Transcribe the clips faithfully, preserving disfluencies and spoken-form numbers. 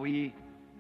We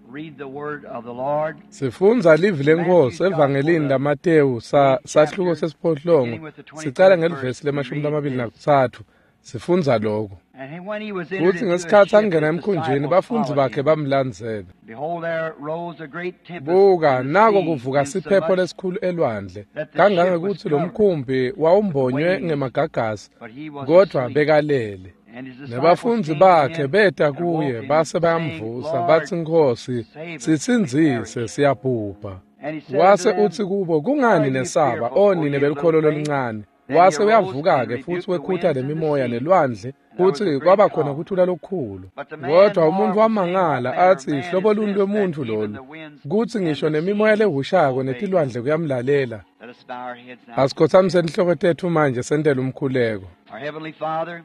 read the word of the Lord. Sifundza livi leNkosi evangelini laMatewu sa sahluko sesiphohlongo sicala ngelivesi lemashumi lamabili nakutsatfu sifundza lokho. And when he was entered Kutsi into a ngesikhatsi ship, angena his emkhunjini disciples bafundzi followed bakhe him. bamlandzela. Behold, there rose a great tempest Buka in the nako sea, kuvuka siphepho insomuch lesikhulu elwandle that the ship was kangangekutsi lo covered mkhumbi wawumbonywe waves, ngemagagasi but he was kodvwa asleep. bekalele. And his disciples Nebafundzi came to bakhe him beta and woke kuye him, base saying, bayamvusa Lord, batsi Nkhosi save us, we sitsindzise perish. siyabhubha. And he said unto Wase them, utsi kubo Why kungani are you nesaba fearful, o O nine ye of belukholo little faith? loluncane. Then he Wase arose and uyavuka-ke futhi rebuked the wekhuta winds and the lemimoya sea, nelwandle and there was a kutsi great kwaba khona calm. kuthula lokukhulu. But the man Kodwa umuntfu marveled, saying, What wamangala manner of atsi man is hlobo luni this that lwemuntfu even lolu the winds kutsi and ngisho the nemimoya sea lehushako obey him? netilwandle kuyamlalela. Let us bow our heads now for Asikhothamise prayer. inhloko tetfu manje sentele umkhuleko. Our Heavenly Father,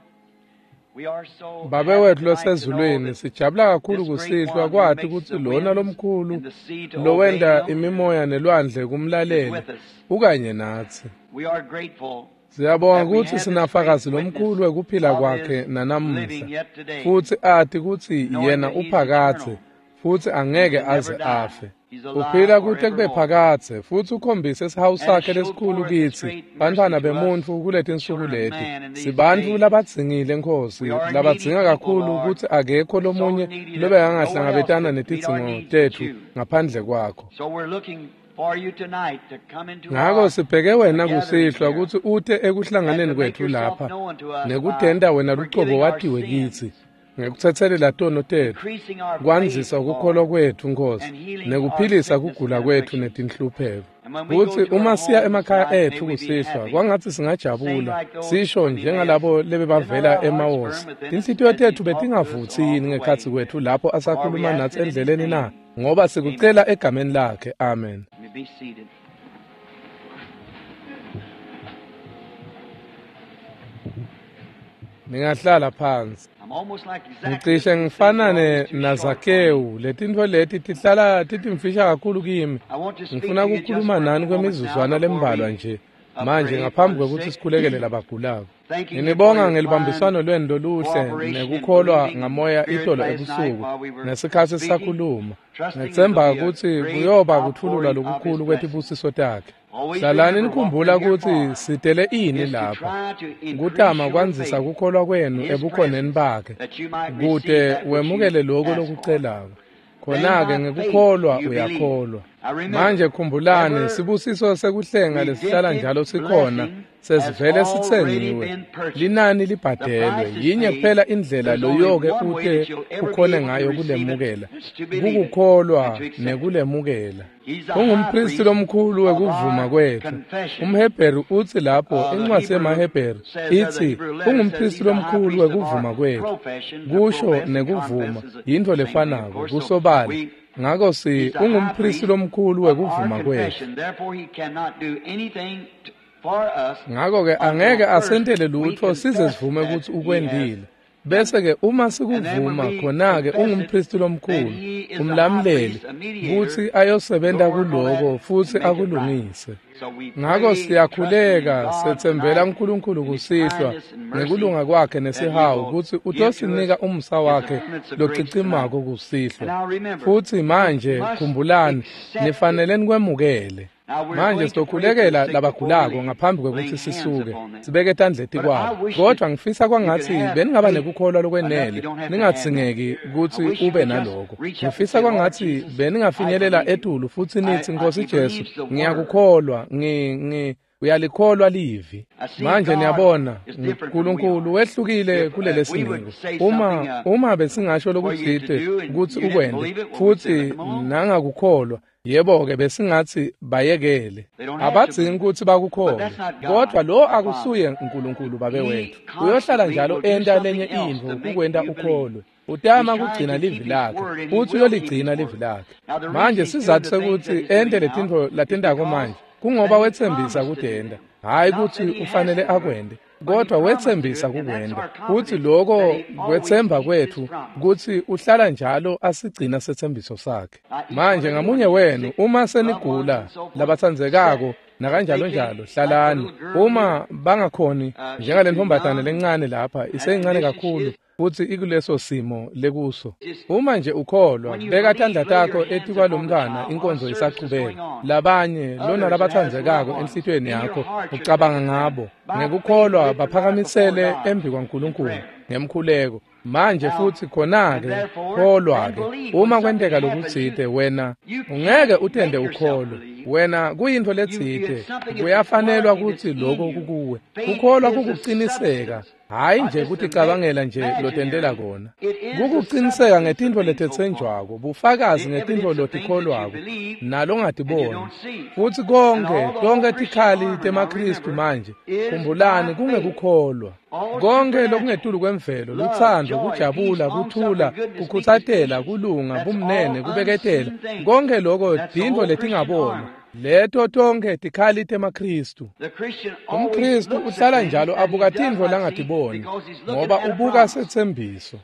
we are so Babe happy wethu tonight to know losezulwini that sijabula kakhulu this great kusihlwa one who kwati makes kutsi the lona winds lomkhulu and the sea to obey lowenta him imimoya nelwandle is kumlalele with us. ukanye natsi. We are grateful Siyabonga that we kutsi have this great sinafakazi witness lomkhulu wekuphila of kwakhe his nanamuhla living yet today, futsi ati kutsi knowing yena that he's uphakadze eternal futsi and angeke can never aze die. afe. He's alive Uphila kute kube forevermore. phakadze futsi ukhombise sihawu And has sakhe showed lesikhulu forth his kitsi great mercy bantfwana to us, bemuntfu kuletinsuku children of leti. man, in these Sibantfu days. labadzingile Nkhosi We are needy labadzinga people, kakhulu Lord, kutsi akekho so lomunye needy that no one else lobekangahlangabetana could meet our netidzingo needs but tetfu you. ngaphandle kwakho. So we're looking for you tonight to come into Ngako our sibheke wena gathering kusihlwa here kutsi ute and ekuhlanganeni to make kwetfu yourself lapha known to us by nekutenta wena lucobo forgiving our watiwe kitsi sins, ngekutsetselela tono tetfu increasing our faith, kwandzisa kukholwa Lord, kwetfu Nkhosi and healing our nekuphilisa sickness kugula and kwetfu afflictions. netinhlupheko. And when we go Kutsi to our uma siya homes emakhaya tonight, may etfu we be kusihlwa happy, kwangatsi saying singajabula like those sisho from Emmaus, njengalabo did not lebebavela our hearts burn eMawosi. within us Tinhlitiyo as he tetfu talked to us betingavutsi along yini the ngekhatsi way? kwetfu lapho For we asakhuluma ask natsi it in his endleleni na? name. Ngoba Amen. sikucela egameni lakhe. Amen. You may be seated. Ningahlala phansi. I'm almost like Zacchaeus Ngicishe when he said, You're ngifanane always too short for me. naZakewu letintfo leti tihlala titimfisha kakhulu kimi. I want to speak Ngifuna to you just kukhuluma for a nani few moments now kwemizuzwana before lembalwa we nje uh, manje pray for ngaphambi the kwekutsi sick. sikhulekele labagulako. Thanking you for Nginibonga your fine ngelibambiswano lwenu loluhle cooperation in nekukholwa believing in the ngamoya Spirit itolo last night ebusuku while we were ngesikhatsi speaking, sisakhuluma. trusting it'll Ngetsembha be a kutsi great kuyoba kutfululwa outpouring of His lokukhulu blessing. kwetibusiso takhe. Always Hlalani remember what nikhumbula we're here kutsi for sitele ini is to lapha try to increase kutama your kwandzisa faith kukholwa in kwenu His ebukhoneni presence bakhe that you might receive kute that which you wemukele lokho ask for. lokucelako. Then Khona-ke by faith ngekukholwa you believe. uyakholwa. Now remember, Manje khumbulani every sibusiso sekuhlenga lesihlala redemptive njalo sikhona blessing has sesivele already sitsengiwe. been purchased. Linani The libhadelwe. price is Yinye paid. kuphela indlela There's only loyoke one way ute that you'll ever be ukhone able to ngayo receive it, kulemukela is to believe it and kukukholwa to accept it. nekulemukela. He's the high Ungumpristi priest lomkhulu of wekuvuma our kwetfu. confession. UmHebheru utsi lapho Uh, the incwadi Hebrew yemaHebheru says there, the itsi Hebrew letter says ungumpristi he's the high lomkhulu priest of wekuvuma our kwetfu. profession. To Kusho profess and nekuvuma confess is the yintfo same thing, of lefanako course. So kusobala. we, Ngako si he's the high ungumpristi priest lomkhulu of our wekuvuma kwetfu. confession. Therefore, he cannot do anything t- for us Ngako-ke angeke until first asentele we lutfo size confess sivume that kutsi he has ukwentile. done it. Bese ke uma And then when sikuvuma we khona-ke confess it, ungumpristi then lomkhulu, he is the high umlamuleli priest, a mediator, kutsi ayosebenta to work on that kuloko futsi and make it right. akulungise. So we Ngako pray, trusting in siyakhuleka God setsembela tonight uNkulunkulu in His kusihlwa kindness and mercy ngekulunga kwakhe that He nesihawu will kutsi give to us utosinika umusa His wakhe abundance of grace tonight. locicimako And kusihlwa. now remember, Futsi you manje must khumbulani accept it. nifanele nikwemukele. Now we're Manje going to pray for the sizokhulekela sick before we labagulako leave, ngaphambi kwekutsi laying hands sisuke upon them. sibeke tandla But I etikwabo. wish that Kodwa ngifisa you could kwangatsi have beningaba faith nekukholwa enough you lokwenele don't have to hand them. ningadzingeki I kutsi wish you ube could just naloko. reach up and Ngifisa say, Lord kwangatsi Jesus, I beningafinyelela believe you. etulu futsi I, nitsi I, Nkhosi he Jesu believes the word. ngiyakukholwa ngi ngi uyalikholwa livi. I see Manje God niyabona is different from we uNkulunkulu are. wehlukile If uh, we kulelesiniko. would say something Uma uh, uma besingasho for you to lokutsite do and kutsi you didn't ukwente believe it, well, we'd say, let futsi them alone. nangakukholwa yebo-ke besingatsi bayekele. They don't have to Abadzingi believe it. kutsi But bakukholwe. that's not Kodwa God, lo our Father. akusuye uNkulunkulu babe He wetfu. Uyohlala constantly njalo will do enta something lenye else intfo to make kukwenta you believe. ukholwe. Utama He's trying kugcina to livi keep his lakhe word, and he futsi will keep his uyoligcina livi word. lakhe. Now, the reason Manje he's doing sizatfu the things that sekutsi he's doing ente now letintfo is latentako because manje that kungoba he wetsembisa promised to do kutenta, them. hhayi Not kutsi that he has ufanele to do it, akwente but he kodwa promised to do wetsembisa it, and that's kukwenta. our Kutsi confidence loko that he always kwetsemba keeps his kwetfu promise. kutsi uhlala njalo asigcina setsembiso sakhe. Now, each one Manje of you, when ngamunye you get wenu sick, uma loved ones senigula and so forth, sit. labatsandzekako If they nakanjalo can't, njalo like the hlalani. little girl here, Uma bangakhoni uh, she's too njengalentombazane young, lencane lapha that iseyincane condition she kakhulu is, futsi ikuleso simo lekuso. Uma nje ukholwa, beka tandla takho etikwalomntfwana inkonzo isachubeka. Labanye lona labatsandzekako enhlitiyweni yakho ucabanga ngabo ngekukholwa baphakamisele embi kwaNkulunkulu ngemkhuleko. Manje futhi khona-ke kholwa-ke. Uma kwenteka lokutsite wena ungeke utende ukholwe. Wena kuyintfo letsite kuyafanelwa kutsi lokho kukuwe. Kukholwa kukuciniseka, hhayi nje kuticabangela nje lotentela kona. Kukuciniseka ngetintfo letetsenjwako, bufakazi ngetintfo lotikholwako nalongatiboni. Futsi konke tonkhe tikhali temaKhristu manje khumbulani kungekukholwa. Konke lokungetulu kwemvelo, lutsandvo, kujabula, kuthula, kukhutsatela, kulunga, bumnene, kubeketela, konke loko tintfo letingabonwa. Leto tonkhe tikhali temaKhristu. UmKhristu uhlala njalo abuka tintfo langatiboni ngoba ubuka setsembiso.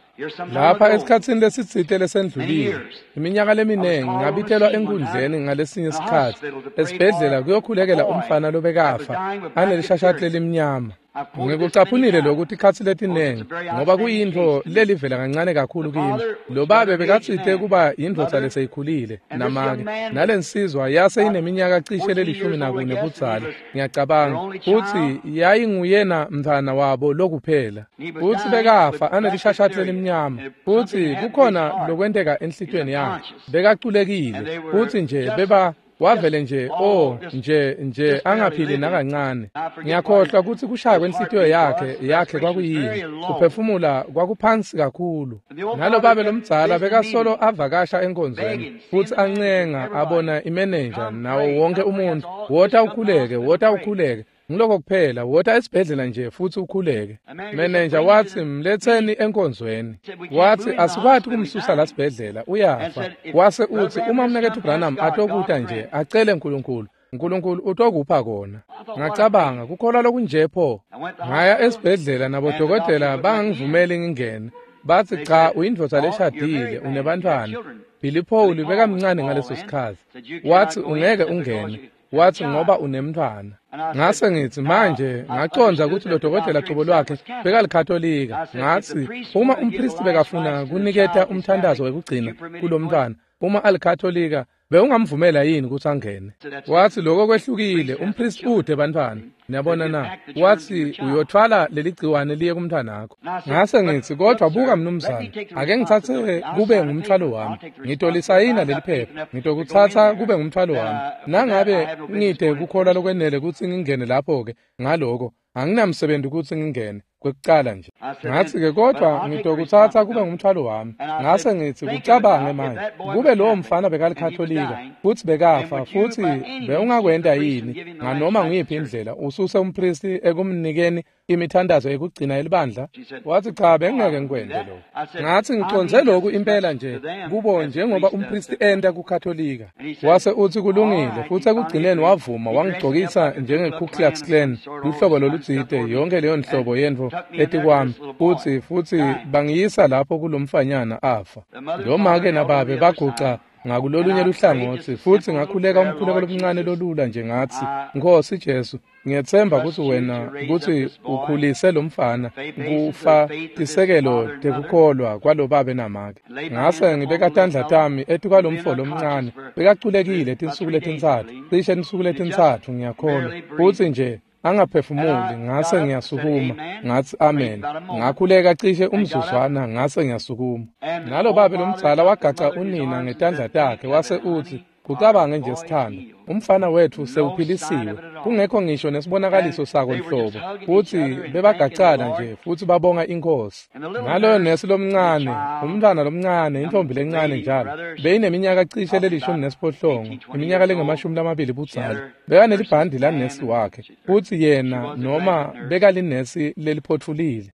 Lapha esikhatsini lesitsite lesendlulile, iminyaka leminengi ngabitelwa enkundleni ngalesinye sikhatsi esibhedlela kuyokhulekela umfana lobekafa anelishashati lelimnyama. Ngikucaphunile lokhu tikhatsi letinengi ngoba kuyintfo lelivela kancane kakhulu kimi. Lo babe bekatsite kuba yindvodza leseyikhulile namake, nalensizwa yase ineminyaka cishe lelishumi nakune budzala ngiyacabanga, futsi yayinguyena mntfwana wabo lokuphela. Futsi bekafa anelishashati lelimnyama, futsi kukhona lokwenteka enhlitiyweni yakhe. Bekaculekile futsi nje beba wavele nje oh nje nje angaphili nakancane. Ngiyakhohlwa kutsi kushaya kwenhlitiyo yakhe yakhe kwakuyini. Kuphefumula kwakuphansi kakhulu. Nalo babe lomdzala bekasolo avakasha enkonzweni futsi ancenga abona imenenja nawo wonke umuntu, wota ukhuleke, wota ukhuleke. Ngiloko kuphela, wota esibhedlela nje futsi ukhuleke. Menenja watsi mletseni enkonzweni. Watsi asikwati kumsusa la sibhedlela, uyafa. Wase utsi uma mnaketfu Branham atokuta nje acele uNkulunkulu, uNkulunkulu utokupha kona. Ngacabanga kukholwa lokunje pho. Ngaya esibhedlela nabodokotela bangangivumeli ngingene. Batsi cha, uyindvodza leshadile, unebantfwana. Billy Paul bekamncane ngaleso sikhatsi. Watsi ungeke ungene. Watsi ngoba unemntfwana. Ngase ngitsi manje ngacondza kutsi lo dokotela cobo lwakhe bekalikhatolika. Ngatsi uma umpristi bekafuna kuniketa umthandazo wekugcina kulomntfwana, uma alikhatolika bewungamvumela yini kutsi angene? Watsi lokho kwehlukile, umpristi ude bantfwana. Niyabona na? Watsi uyothwala leligciwane liye kumntfwanakho. Ngase ngitsi kodwa buka mnumzane, ake ngitsatse kube ngumthwalo wami. Ngitolisayina leli phepha, ngitokutsatsa kube ngumthwalo wami. Nangabe ngide kukholwa lokwenele kutsi ngingene lapho-ke ngaloko, anginamsebenzi kutsi ngingene kwekucala nje. Ngatsi-ke kodwa ngitokutsatsa kube ngumthwalo wami. Ngase ngitsi kucabange manje, kube lowo mfana bekalikhatolika futsi bekafa, futsi bewungakwenta yini nganoma nguyiphi indlela ususe umpristi ekumnikeni imithandazo yekugcina elibandla? Watsi cha, bengingeke ngikwente lokho. Ngatsi ngicondze lokhu impela nje kubo njengoba umpristi enta kukhatolika. Wase utsi kulungile, futsi ekugcineni wavuma wangigcokisa njenge-Ku Klux Klan, luhlobo lolutsite, yonke leyo nhlobo yentfo etikwami, futsi futsi bangiyisa lapho kulomfanyana afa. Lo make nababe baguca ngakulolunye luhlangotsi, futsi ngakhuleka umkhuleko lomncane lolula nje ngatsi, Nkosi Jesu, ngiyetsemba kutsi wena kutsi ukhulise lo mfana kufa tisekelo tekukholwa kwalobabe namake. Ngase ngibeka tandla tami etikwalomfo lomncane, bekaculekile tinsuku letintsatfu, cishe tinsuku letintsatfu ngiyakholwa, futsi nje angaphefumuli. Ngase ngiyasukuma ngatsi amen. Ngakhuleka cishe umzuzwana, ngase ngiyasukuma. Nalo babe lomdzala wagaca unina ngetandla takhe wase utsi, kucabange nje sithando, umfana wetfu sewuphilisiwe, kungekho ngisho nesibonakaliso sako nhlobo. Futsi bebagacana nje futsi babonga iNkhosi. Naloyo nesi lomncane, umntfwana lomncane, intombi lencane njalo, beyineminyaka cishe lelishumi nesiphohlongo, iminyaka lengemashumi lamabili budzala. Bekanelibhandi lanesi wakhe, futsi yena noma bekalinesi leliphotfulile.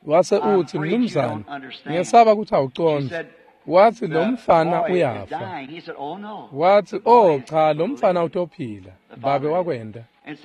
Wase utsi, mnumzane, ngiyesaba kutsi awucondzi. Watsi lo mfana uyafa. Watsi oh cha, lo mfana utophila. Babe wakwenta.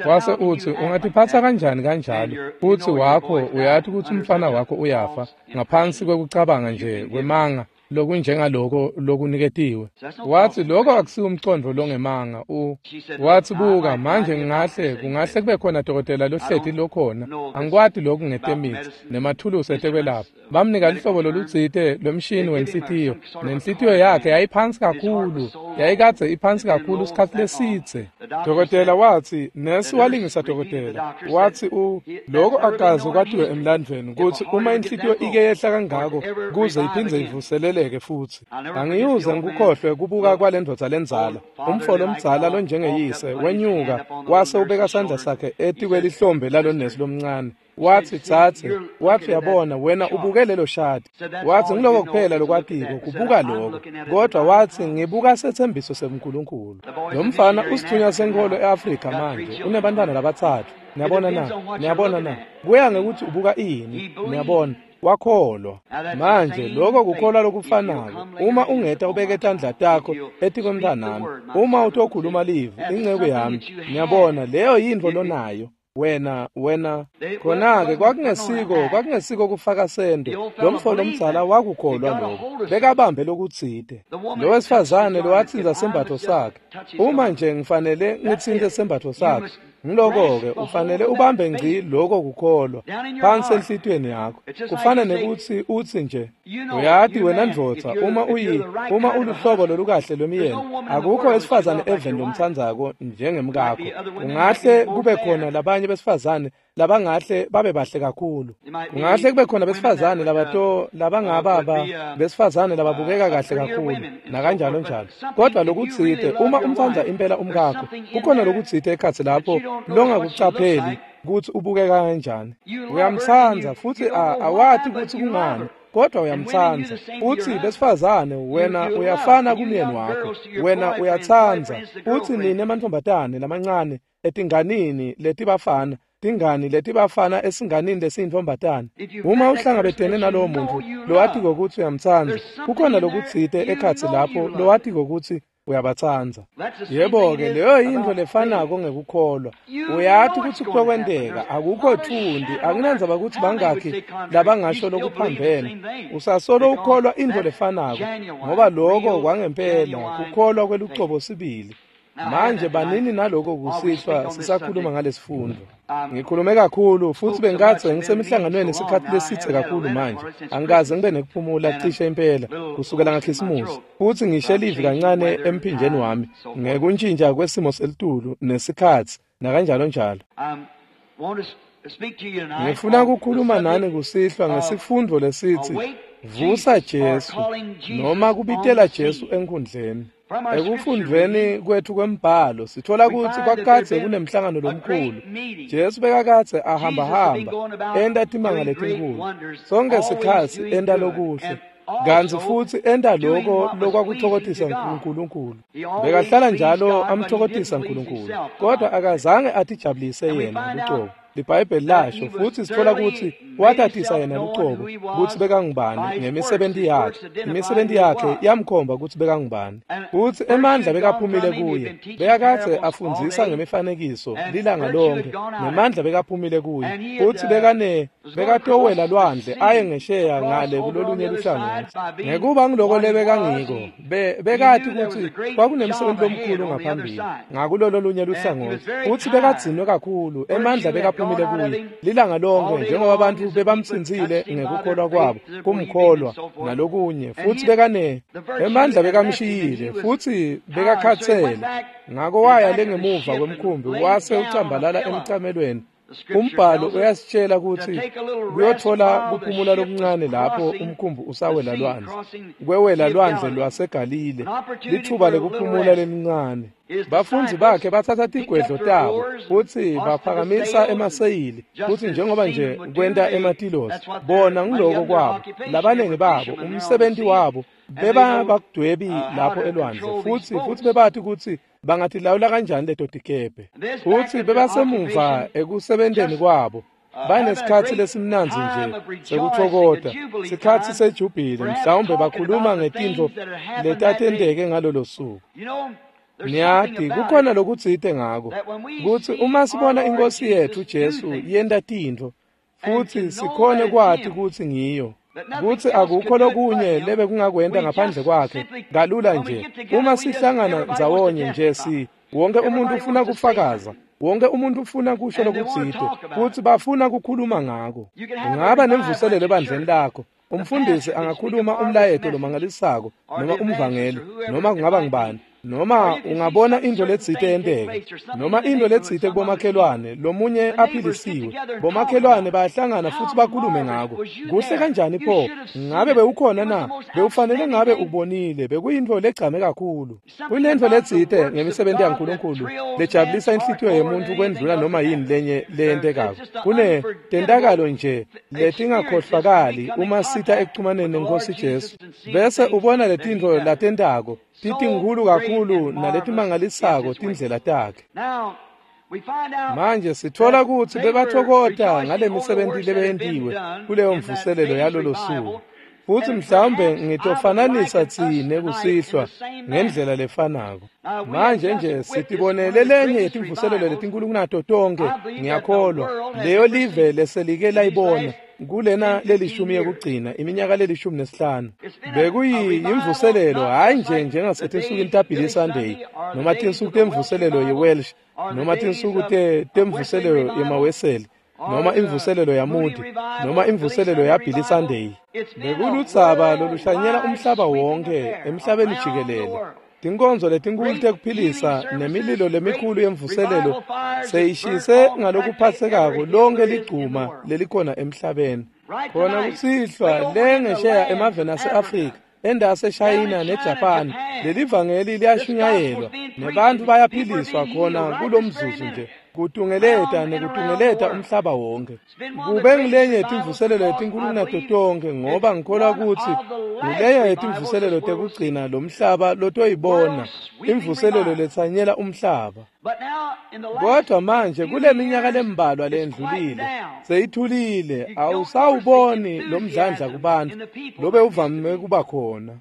Wase utsi ungatiphatsa kanjani kanjalo, futsi wakho uyati kutsi umfana wakho uyafa, ngaphansi kwekucabanga nje kwemanga lokunjengaloko lokuniketiwe. Watsi lokho akusiwo umcondvo longemanga. U watsi buka manje ngingahle kungahle kube khona dokotela lohleti lokhona, angikwati lokhu ngetemithi nemathulusi etekwelapha. Bamnika luhlobo lolutsite lwemshini wenhlitiyo, nenhlitiyo yakhe yayiphansi kakhulu, yayikadze iphansi kakhulu isikhatsi lesidze. Dokotela watsi, nesi walingisa dokotela, watsi u lokho akaze kwatiwe emlandvweni kutsi uma inhlitiyo ike yehla kangako kuze iphindze ivuseleleke futhi. Angiyuze ngikukhohlwe kubuka kwalendvodza lendzala, umfo lomdzala lonjengeyise wenyuka wase ubeka sandla sakhe etikwelihlombe lalonesi lomncane. Watsi tsatse, watsi uyabona wena ubuke lelo shadi. Watsi ngiloko kuphela lokwatiko kubuka lokho, kodwa watsi ngibuka sethembiso seNkulunkulu. Lo mfana usithunywa senkholo eAfrika manje, unebantwana labatsatfu. Niyabona na? Niyabona na? Kuya ngekuthi ubuka ini, niyabona. Wakholwa. Manje lokho kukholwa lokufanako. Uma ungeta ubeke tandla takho etikwemntwanami, uma utokhuluma livi inceku yami, niyabona leyo yintfo lonayo. Wena wena khona-ke kwakungesiko kwakungesiko kufaka sento. Lo mfo lomdzala wakukholwa lokho, bekabambe lokutsite. Lo wesifazane lowatsintsa sembatfo sakhe, uma nje ngifanele ngitsintse sembatfo sakhe, ngiloko-ke ufanele ubambe ngci loko kukholwa phansi enhlitiyweni yakho. Kufana nekuthi utsi nje, uyati wena ndvodza, uma uyi uma uluhlobo lolukahle lwemyeni, akukho wesifazane eveni lomtsandzako njengemkakho. Kungahle kube khona labanye besifazane labangahle babe bahle kakhulu. Kungahle kube khona besifazane labato labangababa besifazane lababukeka kahle kakhulu nakanjalo njalo. Kodwa lokutsite uma umtsandza impela umkakho, kukhona lokutsite ekhatsi lapho longakucapheli kutsi ubukeka kanjani. Uyamtsandza futhi awati kutsi kungani, kodwa uyamtsandza. Uthi besifazane wena uyafana kumyeni wakho, wena uyatsandza. Uthi nine mantfombatane lamancane etinganini letibafana, tingani letibafana esinganini lesiyintfombatane. Uma uhlangabetene nalowo muntfu lowatiko kutsi uyamtsandza, kukhona lokutsite ekhatsi lapho lowatiko kutsi uyabatsandza. Yebo-ke leyo yintfo lefanako ngekukholwa. Uyati kutsi kutokwenteka, akukho thundi, akunandzaba kutsi bangakhi labangasho lokuphambene. Usasolo ukholwa intfo lefanako, ngoba loko kwangempela kukholwa kwelucobo sibili. Manje banini naloko kusihlwa sisakhuluma ngalesifundvo. Ngikhulume kakhulu futhi bengikadze ngisemihlanganweni isikhathi lesidze kakhulu manje. Angikaze ngibe nekuphumula cishe impela kusukela ngaKhisimusi. Futhi ngishe livi kancane emphinjeni wami ngekuntjintja kwesimo selitulu nesikhatsi nakanjalo njalo. Ngifuna ukukhuluma nani kusihlwa ngesifundvo lesitsi Vusa Jesu noma kubitela Jesu enkhundleni. Ekufundveni kwethu kwembhalo sithola kutsi kwakadze kunemhlangano lomkhulu. Jesu bekakadze ahambahamba enta timanga letinkhulu, sonke sikhatsi enta lokuhle, kantsi futsi enta loko lokwakutfokotisa uNkulunkulu. Bekahlala njalo amtfokotisa uNkulunkulu, kodwa akazange atijabulise yena lucobo. LiBhayibheli lasho futsi sithola kutsi watatisa yena lucobo kutsi bekangubani ngemisebenti yakhe. Imisebenti yakhe yamkhomba kutsi bekangubani. Futsi emandla bekaphumile kuye, bekakadze afundzisa ngemifanekiso lilanga lonke, nemandla bekaphumile kuye. Futsi bekane bekatowela lwandle aye ngesheya ngale kulolunye luhlangothi. Ngekuba ngiloko lebekangiko, bekati kutsi kwakunemsebenzi lomkhulu ngaphambili ngakulolo lunye luhlangothi. Futsi bekadzinwe kakhulu, emandla bekaphumile kuye lilanga lonke, njengoba abantu bebamtsintsile ngekukholwa kwabo kumkholwa nalokunye. Futsi bekane emandla bekamshiyile, futhi bekakhatsele. Ngako waya lengemuva kwemkhumbi wase ucambalala emcamelweni. Umbhalo uyasitshela kutsi kuyothola kuphumula lokuncane lapho umkhumbi usawela lwandle, kwewela lwandle lwaseGalile, lithuba lekuphumula lelincane. Bafundzi bakhe bathatha tigwedlo tabo futsi baphakamisa emaseyili, futsi njengoba nje kwenta ematilosi, bona ngiloko kwabo, labaningi babo umsebenzi wabo beba bakudwebi lapho elwandle, futsi futsi bebati kutsi bangatilawula kanjani leto tikebhe. Futsi bebasemuva ekusebenteni kwabo, banesikhatsi lesimnandzi nje sekutfokota, sikhatsi sejubhili, mhlawumbe bakhuluma ngetintfo letatenteke ngalolo suku. Niyati kukhona lokutsite ngako kutsi uma sibona iNkosi yethu Jesu yenta tintfo futsi sikhone kwati kutsi ngiyo, Kutsi akukho lokunye lebekungakwenta ngaphandle kwakhe kalula nje. Uma sihlangana ndzawonye nje si wonke umuntu ufuna kufakaza. Wonke umuntu ufuna kusho lokutsite futsi bafuna kukhuluma ngako. Ungaba nemvuselelo ebandleni lakho. Umfundisi angakhuluma umlayeto lomangalisako noma umvangeli noma kungaba ngubani, noma ungabona into letsite yenteka, noma into letsite kubomakhelwane lomunye aphilisiwe. Bomakhelwane bayahlangana futsi bakhulume ngako. Kuhle kanjani pho? Ngabe bewukhona na? Bewufanele ngabe ubonile. Bekuyintfo legcame kakhulu. Kunentfo letsite ngemisebenti yaNkulunkulu lejabulisa inhlitiyo yemuntfu kwendlula noma yini lenye leyentekako. Kune tentakalo nje letingakhohlwakali uma sita ekuchumaneni neNkhosi Jesu, bese ubona letintfo latentako titinkhulu kakhulu naletimangalisako tindlela takhe. Manje sitfola kutsi bebathokota ngalemisebenti lebeyentiwe kuleyo mvuselelo yalolo suku. Futsi mhlawumbe ngitofananisa tsine kusihlwa ngendlela lefanako. Manje nje sitibonele lenye yetimvuselelo letinkulu kunato tonkhe, ngiyakholwa, leyo live leselike layibona kulena lelishumi yekugcina, iminyaka lelishumi nesihlanu. Bekuyimvuselelo hhayi nje njengasetinsukwini taBilly Sunday noma tinsuku temvuselelo yeWelsh noma tinsuku temvuselelo yemaWeseli noma imvuselelo yaMoody noma imvuselelo yaBilly Sunday. Bekuludzaba loluhlanyela umhlaba wonke emhlabeni jikelele. Tinkonzo letinkulu tekuphilisa nemililo lemikhulu yemvuselelo seyishise ngalokuphatsekako lonke ligcuma lelikhona emhlabeni. Khona kusihlwa lengesheya emaveni ase-Afrika, endaseshayina neJapan, lelivangeli liyashunyayelwa nebantfu bayaphiliswa khona kulomzuzu nje, kutungeleta nekutungeleta umhlaba wonke. Kube ngilenye yetimvuselelo letinkulu kunato tonkhe, ngoba ngikholwa kutsi nguleyo yetimvuselelo tekugcina lomhlaba lotoyibona, imvuselelo letsanyela umhlaba. Kodwa manje kule minyaka lembalwa lendlulile seyithulile, awusawuboni lomdlandla kubantfu lobe uvame kuba khona.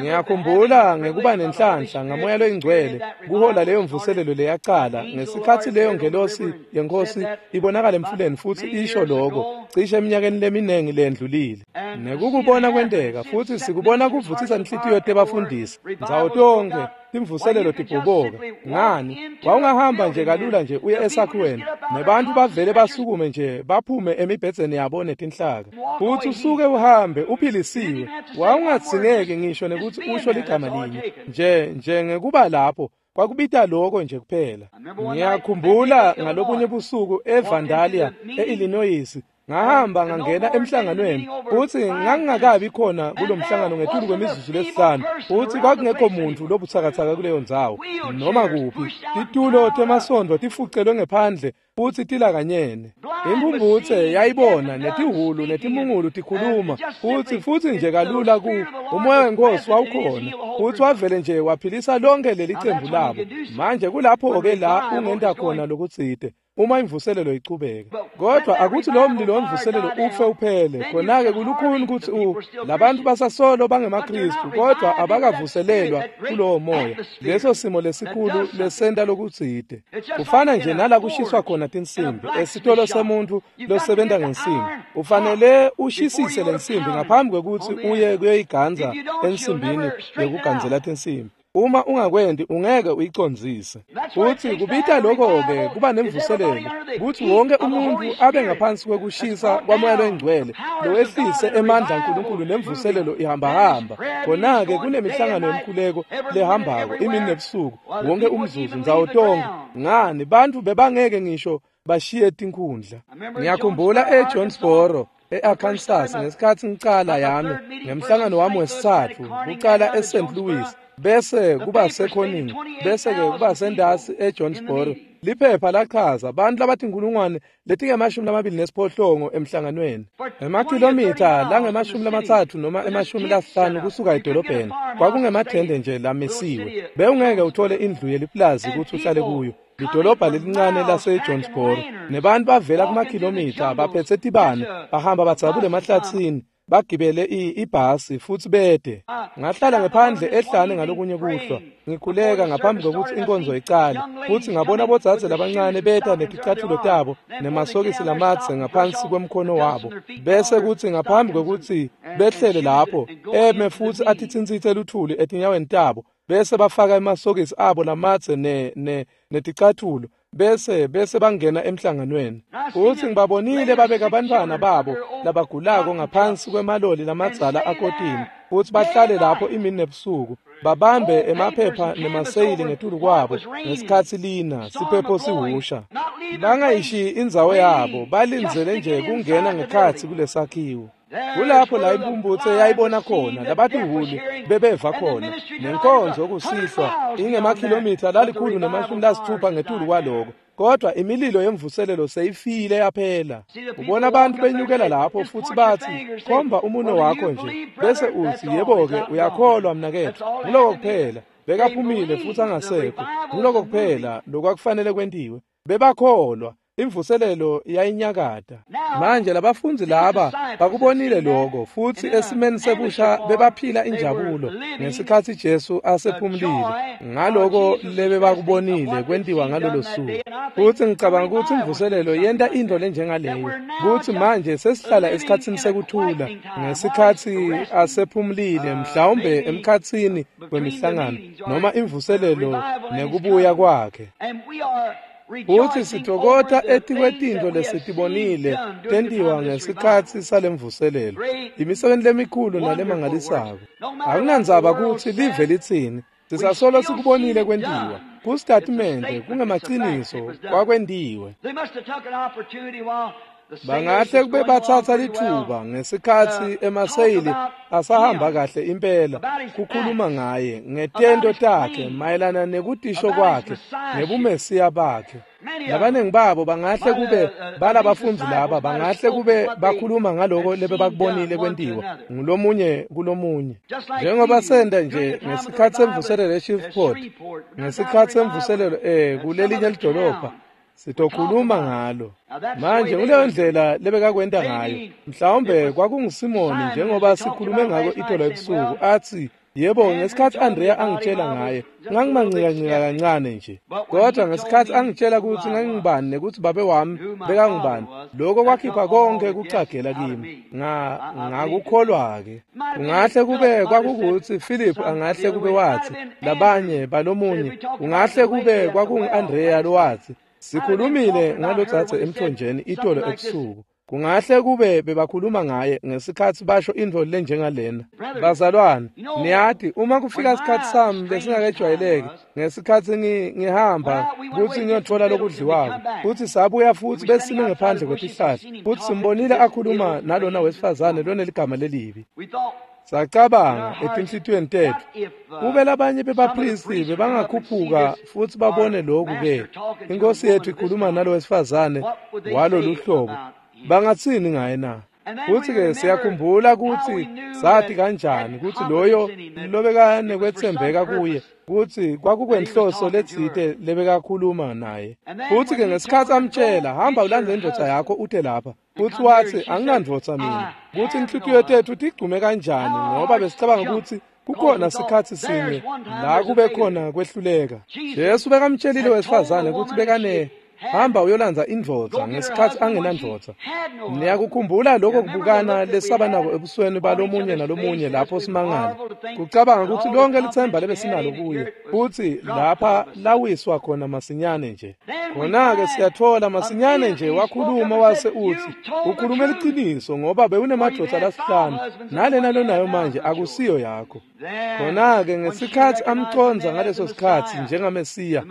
Ngiyakhumbula ngekuba nenhlanhla ngaMoya loyiNgcwele kuhola leyo mvuselelo leyacala ngesikhatsi leyo ngelosi yenkosi ibonakala emfuleni futsi isho lokho cishe eminyakeni leminingi lendlulile. Nekukubona kwenteka futsi sikubona kuvutsisa inhlitiyo tebafundisi ndzawo tonkhe, timvuselelo tibhoboka. Ngani? Wawungahamba nje kalula nje uye esakhiweni nebantfu bavele basukume nje baphume emibhedzeni yabo netinhlaka futsi usuke uhambe uphilisiwe. Wawungadzingeki ngisho nekutsi usho ligama linye nje nje ngekuba lapho kwakubita lokho nje kuphela. Ngiyakhumbula ngalobunye busuku eVandalia e-Illinois, ngahamba ngangena emhlanganweni futsi ngangingakabi khona kulomhlangano ngetulu kwemizuzu lesihlanu, futsi kwakungekho muntfu lobutsakatsaka kuleyo ndzawo noma kuphi. Titulo temasondo tifucelwe ngephandle futsi tilakanyene. Imphumphutse yayibona netihhulu netimungulu tikhuluma futsi futsi nje kalula ku umoya wenkosi wawukhona futsi wavele nje waphilisa lonke leli cembu labo. Manje kulapho-ke la ungenta khona lokutsite uma imvuselelo ichubeka. Kodwa akuthi lo mlilo wemvuselelo ufe uphele, khona-ke kulukhuni kutsi u labantu basasolo bangemaKristu kodwa abakavuselelwa kulowo moya, leso simo lesikhulu lesenta lokutsite. Kufana nje nala kushiswa khona tinsimbi esitolo semuntfu losebenta ngensimbi. Ufanele ushisise lensimbi ngaphambi kwekutsi uye kuyoyiganza ensimbini yekugandzela tinsimbi. Uma ungakwenti ungeke uyicondzise. Futsi kubita lokho-ke kuba nemvuselelo kutsi wonke umuntfu abe ngaphansi kwekushisa kwaMoya loyiNgcwele lowehlise emandla aNkulunkulu nemvuselelo ihambahamba. Khona-ke kunemihlangano yemkhuleko lehambako imini nebusuku wonke umzuzu ndzawo tonkhe. Ngani bantfu bebangeke ngisho bashiye tinkhundla. Ngiyakhumbula eJonesboro e-Arkansas ngesikhatsi ngicala yami ngemhlangano wami wesitsatfu kucala eSaint Louis, bese kuba seConning, bese ke kuba sendasi eJonesboro. Liphepha lachaza bantfu labatinkhulungwane letingemashumi lamabili nesiphohlongo emhlanganweni, emakhilomitha langemashumi lamatsatfu noma emashumi lasihlanu kusuka edolobheni. Kwakungemathende nje lamisiwe, bewungeke uthole indlu yeliplazi kutsi uhlale kuyo. Lidolobha lelincane laseJonesboro, nebantu bavela kumakhilomitha baphetse tibane bahamba badzabula emahlatsini Bagibele ibhasi futsi bede. Ngahlala ngephandle ehlane ngalokunye kuhlwa, ngikhuleka ngaphambi kokuthi inkonzo icale, futsi ngabona bodzadze labancane beta neticatfulo tabo nemasokisi lamadze ngaphansi kwemkhono wabo, bese kutsi ngaphambi kwekutsi behlele lapho eme futsi atitsintsitse luthuli etinyaweni tabo, bese bafaka emasokisi abo lamadze ne ne neticatfulo, bese bese bangena emhlanganweni. Futsi ngibabonile babeka abantwana babo labagulako ngaphansi kwemaloli lamadzala akotini, futsi bahlale lapho imini nebusuku, babambe emaphepha nemaseyili ngetulu kwabo ngesikhatsi lina siphepho sihusha. Bangayishiyi indzawo yabo, balindzele nje kungena ngekhatsi kulesakhiwo. Kulapho la impumputse yayibona khona, labatihhulu bebeva khona, nenkonzo kusihlwa ingemakhilomitha lalikhulu nemashumi lasitfupha ngetulu kwaloko. Kodwa imililo yemvuselelo seyifile yaphela. Ubona abantu benyukela lapho futsi batsi, khomba umuno wakho nje, bese utsi, yebo-ke, uyakholwa mnaketfu. Nguloko kuphela. Bekaphumile futsi angasekho. Nguloko kuphela lokwakufanele kwentiwe. Bebakholwa. Imvuselelo yayinyakata. Manje labafundzi laba bakubonile lokho, futsi esimeni sebusha bebaphila injabulo ngesikhatsi Jesu asephumulile ngaloko lebebakubonile kwentiwa ngalolo suku. Futsi ngicabanga kutsi imvuselelo yenta into lenjengaleyo, kutsi manje sesihlala esikhatsini sekuthula ngesikhatsi asephumulile, mhlawumbe emkhatsini wemihlangano noma imvuselelo nekubuya kwakhe. Futsi sitokota etikwetintfo lesitibonile tentiwa ngesikhatsi salemvuselelo, imisebenti lemikhulu nalemangalisako. Akunandzaba kutsi live litsini, sisasolo sikubonile kwentiwa. Kusitatimende kungemaciniso kwakwentiwe. Bangahle kube batsatsa litfuba ngesikhatsi emaseyili asahamba kahle impela kukhuluma ngaye ngetento takhe mayelana nekutisho kwakhe ngebumesiya bakhe. Labaningi babo bangahle kube balabafundzi laba bangahle kube bakhuluma ngaloko lebebakubonile kwentiwa ngulomunye kulomunye, njengoba senta nje ngesikhatsi semvuselelo eShreveport, ngesikhatsi semvuselelo eh kulelinye lidolobha. Sitokhuluma ngalo. Manje nguleyo ndlela lebekakwenta ngayo. Mhlawumbe kwakunguSimoni njengoba sikhulume ngako itolo ebusuku, atsi, yebo, ngesikhatsi Andrea angitshela ngaye, ngangimancikancika kancane nje. Kodwa ngesikhatsi angitshela kutsi ngangingubani nekutsi babe wami bekangubani, lokho kwakhipha konke kucagela kimi. Nga ngakukholwa-ke. Kungahle kube kwakukuthi Philip angahle kube watsi, labanye balomunye, kungahle kube kwakungu-Andrea lowatsi, sikhulumile ngalodzadze emthonjeni itolo ebusuku. Kungahle kube bebakhuluma ngaye ngesikhatsi basho intfo lenjengalena. Bazalwane, niyati uma kufika isikhatsi sami lesingakejwayeleki, ngesikhatsi ngihamba kutsi ngiyotfola lokudliwako, futsi sabuya futsi besime ngephandle kwetihlahla, futsi simbonile akhuluma nalona wesifazane loneligama lelibi. Sacabanga etinhlitiyweni tetfu, kube labanye bebapristi bebangakhuphuka futsi babone lokhu ke, inkosi yethu ikhuluma nalo wesifazane walolu hlobo, bangatsini ngaye na? Futsi-ke siyakhumbula kutsi sathi kanjani kutsi loyo lobekanokwetsembeka kuye, kutsi kwakukwenhloso letsite lebekakhuluma naye. Futsi-ke ngesikhatsi amtshela, hamba ulandze indvodza yakho ute lapha, futsi watsi, anginandvodza mina. Kutsi inhlitiyo tetfu tigcume kanjani, ngoba besicabanga kutsi kukhona sikhatsi sinye la kube khona kwehluleka. Jesu bekamtshelile wesifazane kutsi bekane hamba uyolandza indvodza ngesikhatsi angenandvodza. Niyakukhumbula lokho kubukana lesaba nako ebusweni balomunye nalomunye lapho simangala, kucabanga kutsi lonke litsemba lebesinalo kuye, futsi lapha lawiswa khona masinyane nje. Khona-ke siyatfola masinyane nje wakhuluma wase utsi, ukhulume liciniso ngoba bewunemadvodza lasihlanu, nalena lonayo manje akusiyo yakho. Khona-ke ngesikhatsi amcondza ngaleso sikhatsi njengaMesiya,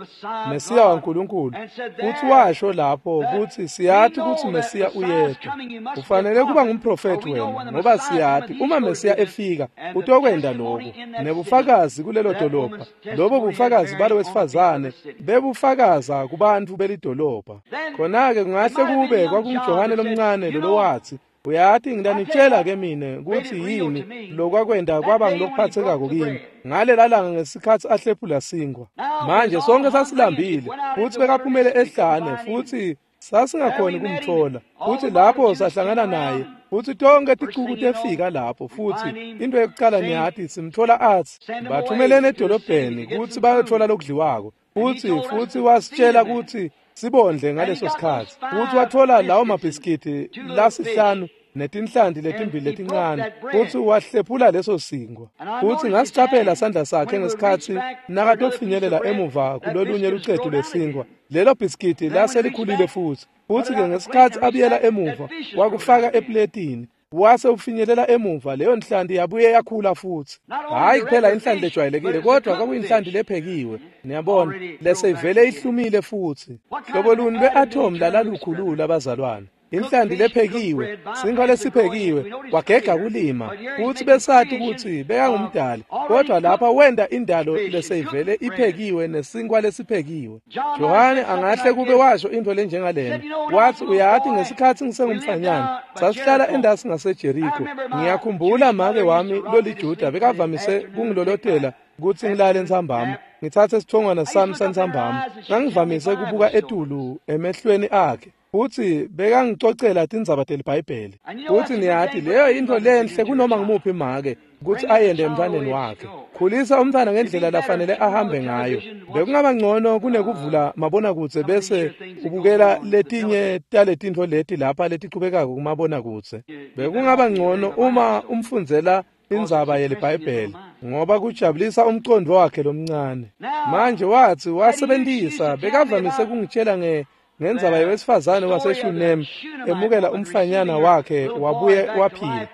Mesiya waNkulunkulu, futsi washo lapho kutsi siyati kutsi Mesiya uyeta. Ufanele kuba ngumprofethi wena, ngoba siyati uma Mesiya efika utokwenta lokhu. Nebufakazi kulelo dolobha, lobo bufakazi balo wesifazane bebufakaza kubantfu belidolobha. Khona-ke kungahle kube kwakunguJohane lomncane lolowatsi, uyati ngitanitshela ke mine kutsi yini lokwakwenta kwaba ngilokuphathekako kimi ngalela langa ngesikhatsi ahlephula sinkwa. Manje sonke sasilambile, futsi bekaphumele ehlane, futsi sasingakhoni kumtfola. Futsi lapho sahlangana naye, Futsi tonke ticuku tefika lapho futsi into yekucala niyati simtfola atsi bathumelene edolobheni kutsi bayotfola lokudliwako. Futsi futsi wasitshela kutsi sibondle ngaleso sikhatsi. Futsi watfola lawo mabhiskiti lasihlanu netinhlanti letimbili letincane futsi wahlephula leso sinkwa. Futsi ngasicaphela sandla sakhe ngesikhatsi nakatofinyelela emuva kulolunye lucetu lwesinkwa. Lelo bhiskiti laselikhulile futsi. Futsi-ke ngesikhatsi abuyela emuva wakufaka epletini wase ufinyelela emuva leyo nhlanti yabuye yakhula futsi. Hhayi kuphela inhlanti lejwayelekile kodwa kwakuyinhlanti lephekiwe. Niyabona leseyivele ihlumile futsi. Hlobo luni lwe-athomu lalalukhulula bazalwane. Inhlanti lephekiwe, sinkwa lesiphekiwe, wagega kulima futsi besati kutsi bekangumdali, kodwa lapha wenta indalo leseyivele iphekiwe nesinkwa lesiphekiwe. Johane angahle kube washo intfo lenjengalena. Watsi uyati ngesikhatsi ngisengumfanyana sasihlala endasi ngaseJeriko. Ngiyakhumbula make wami loliJuda bekavamise kungilolotela kutsi ngilale ntsambama ngitsatse sithongwana sami santsambama. Ngangivamise kubuka etulu emehlweni akhe. Futsi bekangicocela tindzaba teliBhayibheli. Futsi niyati leyo intfo lenhle kunoma ngumuphi make kutsi ayende emntfwaneni wakhe. Khulisa umntfwana ngendlela lafanele ahambe ngayo. Bekungaba ngcono kunekuvula mabonakudze bese ubukela letinye taletintfo leti lapha letichubekako kumabonakudze. Bekungaba ngcono uma umfundzela indzaba yeliBhayibheli ngoba kujabulisa umcondvo wakhe lomncane. Manje watsi wasebentisa bekavamise kungitshela nge ngendzaba yewesifazane waseShunemi emukela umfanyana wakhe wabuye waphila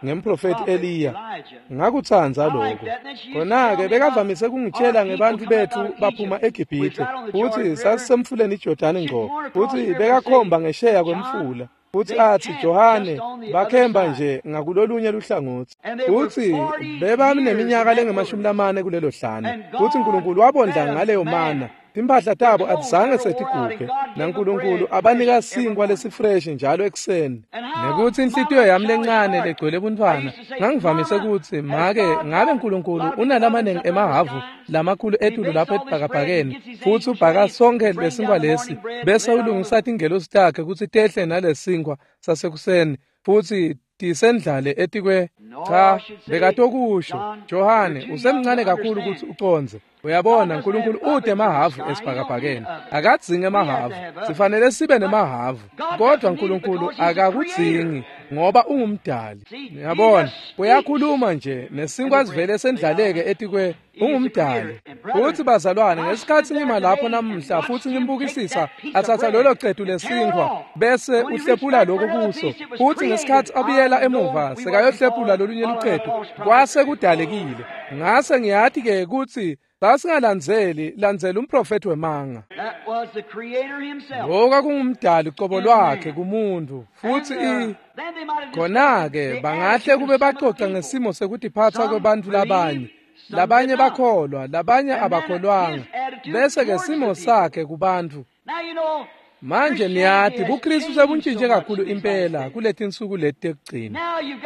ngemprofeti Eliya. Ngakutsandza lokho. Khona-ke bekavamise kungitshela ngebantfu bethu baphuma eGibhithe futsi sasisemfuleni iJordani ngco futsi bekakhomba ngesheya kwemfula. Futsi atsi Johane bakhemba nje ngakulolunye luhlangotsi. Futsi bebaneminyaka lengemashumi lamane kulelo hlane. Futsi Nkulunkulu wabondla ngaleyo mana. Timphahla tabo atizange setiguge naNkulunkulu abanika sinkwa lesifresh njalo ekuseni. Nekutsi inhlitiyo yami lencane legcwele buntfwana ngangivamise kutsi make ngabe Nkulunkulu unalamanengi emahavu lamakhulu etulu lapha ebhakabhakeni futsi ubhaka sonke lesinkwa lesi bese ulungisa tingelosi takhe kutsi tehle nalesinkwa sasekuseni futsi tisendlale etikwe. Cha, bekatokusho Johane usemncane kakhulu kutsi ucondze. Uyabona Nkulunkulu ute emahavu esibhakabhakeni. Akadzingi emahavu. Sifanele sibe nemahavu. Kodwa Nkulunkulu akakudzingi ngoba ungumdali. Uyabona, uyakhuluma nje nesinkwa sivele sendlaleke etikwe ungumdali. Futsi bazalwane ngesikhatsi ngima lapho namuhla futsi ngimbukisisa atsatsa lolo cetu lesinkwa bese uhlephula lokho kuso. Futsi ngesikhatsi abuyela emuva sekayohlephula lolunye lucetu kwase kudalekile. Ngase ngiyati ke kutsi sasingalandzeli landzela umprofeti wemanga. Lokho kungumdali ucobo lwakhe kumuntu. Futsi i khona-ke bangahle kube baxoxa ngesimo sekutiphatsa kwebantfu labanye. Labanye bakholwa, labanye abakholwanga. Bese-ke simo sakhe kubantfu. Manje niyati buKristu sebuntshintshe kakhulu impela kuletinsuku leti tekugcina.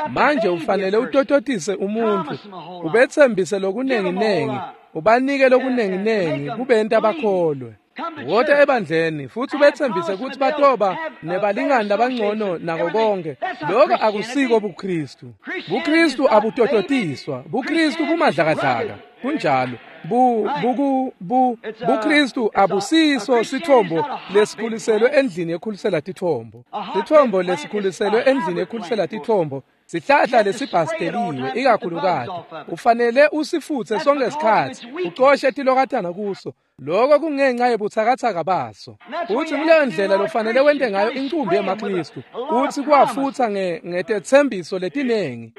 Manje ufanele utototise umuntfu, ubetsembise lokunenginengi, ubanike lokunenginengi kubenta bakholwe. Wota ebandleni futsi ubetsembise kutsi batoba nebalingani labangcono nako konke. Lokho akusiko buKristu. BuKristu abutototiswa. BuKristu bumadlakadlaka. Kunjalo. Bu buku bu buKristu abusiso sithombo lesikhuliselwe endlini ekhulisela tithombo. Sithombo lesikhuliselwe endlini ekhulisela tithombo sihlahla lesibhasteliwe ikakhulukati. Ufanele usifutse sonke isikhatsi, ucoshe tilokatana kuso. Lokho kungenxa yebuthakathaka baso. Futsi kuleyo ndlela lofanele wente ngayo incumbi yemaKristu. Utsi kwafutsa nge ngetethembiso letinengi.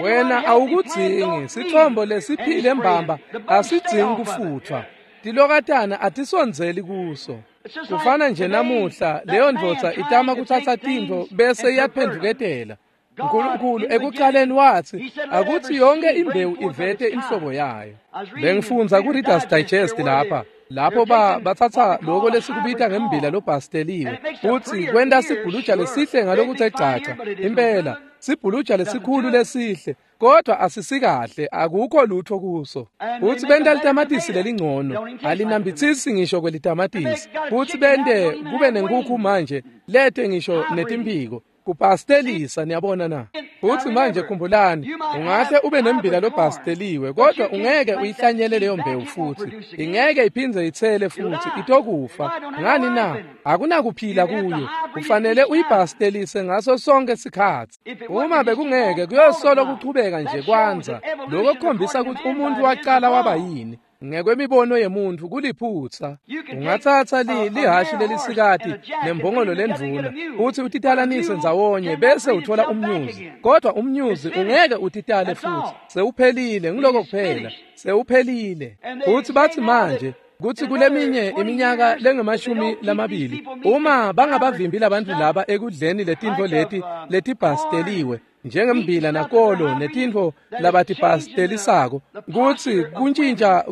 Wena awukudzingi sithombo lesiphile mbamba asidzingi kufuthwa. Tilokatana atisondzeli kuso. Kufana nje namuhla leyo ndvodza itama kutsatsa tintfo bese iyaphendvuketela. Nkulunkulu ekuqaleni watsi akutsi yonke imbewu ivete inhlobo yayo. Bengifundza ku-Reader's Digest lapha lapho ba batsatsa lokho lesikubita ngembila lobhasteliwe futsi kwenta sibhuluja lesihle ngalokuthe gcagca. Impela sibhuluja lesikhulu lesihle Kodwa asisikahle, akukho lutho kuso. Futhi benta litamatisi lelingcono, alinambitsisi ngisho kwelitamatisi. Futhi bente kube nenkukhu manje, lete ngisho netimphiko. Kupastelisa, niyabona na? Futhi manje khumbulani, ungahle ube nembila lobhasteliwe, kodwa ungeke uyihlanyele leyo mbewu futhi. Ingeke iphindze itsele futhi, itokufa. Ngani na? Akunakuphila kuyo. Kufanele uyibhastelise ngaso sonke isikhatsi. Uma bekungeke, kuyosolo kuchubeka nje kwanza. Lokho kukhombisa ukuthi umuntu waqala waba yini. Ngekwemibono yemuntu kuliphutsa. Ungatsatsa li lihashi lelisikati nembongolo lendvuna uthi utitalanise ndzawonye bese uthola umnyuzi, kodwa umnyuzi ungeke utitale futhi. Sewuphelile, ngiloko kuphela, sewuphelile. Uthi bathi manje kuthi kuleminye iminyaka lengemashumi lamabili, uma bangabavimbi labantu laba ekudleni letintfo leti letibhasteliwe njengembila nakolo netintfo labatibhastelisako, kutsi kuntjintja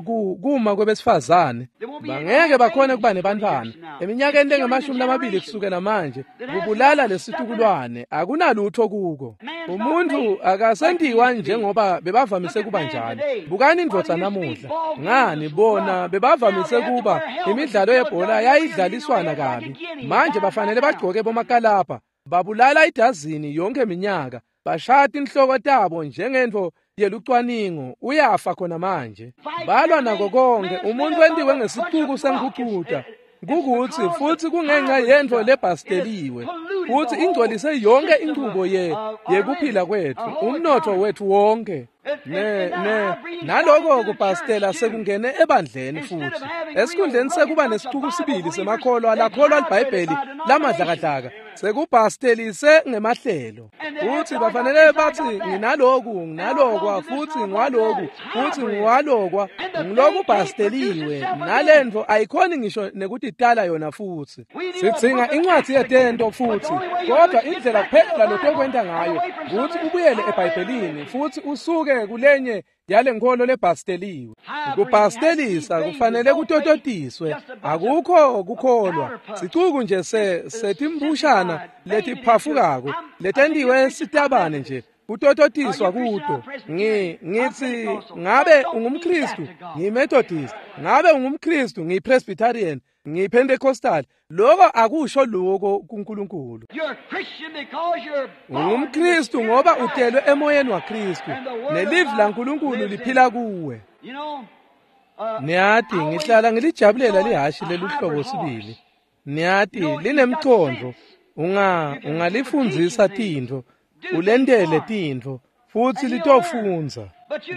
kuma kwebesifazane, bangeke bakhone kuba nebantfwana eminyakeni lengemashumi lamabili kusukela manje. Kubulala lesitukulwane, akunalutho kuko. Umuntu akasentiwa njengoba bebavamise kuba njalo. Bukani indvodza namuhla. Ngani bona bebavamise kuba imidlalo yebhola yayidlaliswana kabi, manje bafanele bagcoke bomakalabha, babulala idazini yonke iminyaka, bashaya tinhloko tabo njengentfo yelucwaningo. Uyafa khona manje. Balwa nako konke. Umuntu wentiwe ngesicuku senkhucuta, kukuthi futhi kungenxa yentfo lebhasteliwe, futhi ingcolise yonke inchubo ye yekuphila kwethu, umnotfo wethu wonke. Ne ne naloko kubhastela sekungene ebandleni futhi. Esikhundleni sekuba nesicuku sibili semakholwa lakholwa liBhayibheli lamadlakadlaka, sekubhastelise ngemahlelo. Futhi bafanele bathi nginaloku, nginalokwa, futhi ngiwaloku, futhi ngiwalokwa, ngiloku bhasteliwe. Nalentfo ayikhoni ngisho nekutitala yona futhi. Sidzinga incwadi yetento futhi, kodwa indlela kuphela lotokwenta ngayo ukuthi ubuyele eBhayibhelini futhi usuke kulenye yale nkholo lebhasteliwe. Kubhastelisa kufanele kutototiswe. Akukho kukholwa. Sicuku nje se setimbushana letiphafukako letentiwe sitabane nje, kutototiswa kuto. Ngi ngithi ngabe ungumKristu, ngiyiMethodist, ngabe ungumKristu, ngiyiPresbyterian, ngiyiPentecostal. Lokho akusho lokho kuNkulunkulu. UngumKristu ngoba utelwe emoyeni waKristu, nelivi laNkulunkulu liphila kuwe. Niyati, ngihlala ngilijabulela lihashi leluhlobo sibili. Niyati, linemcondvo. Unga ungalifundzisa tintfo, ulentele tintfo, futhi litofundza.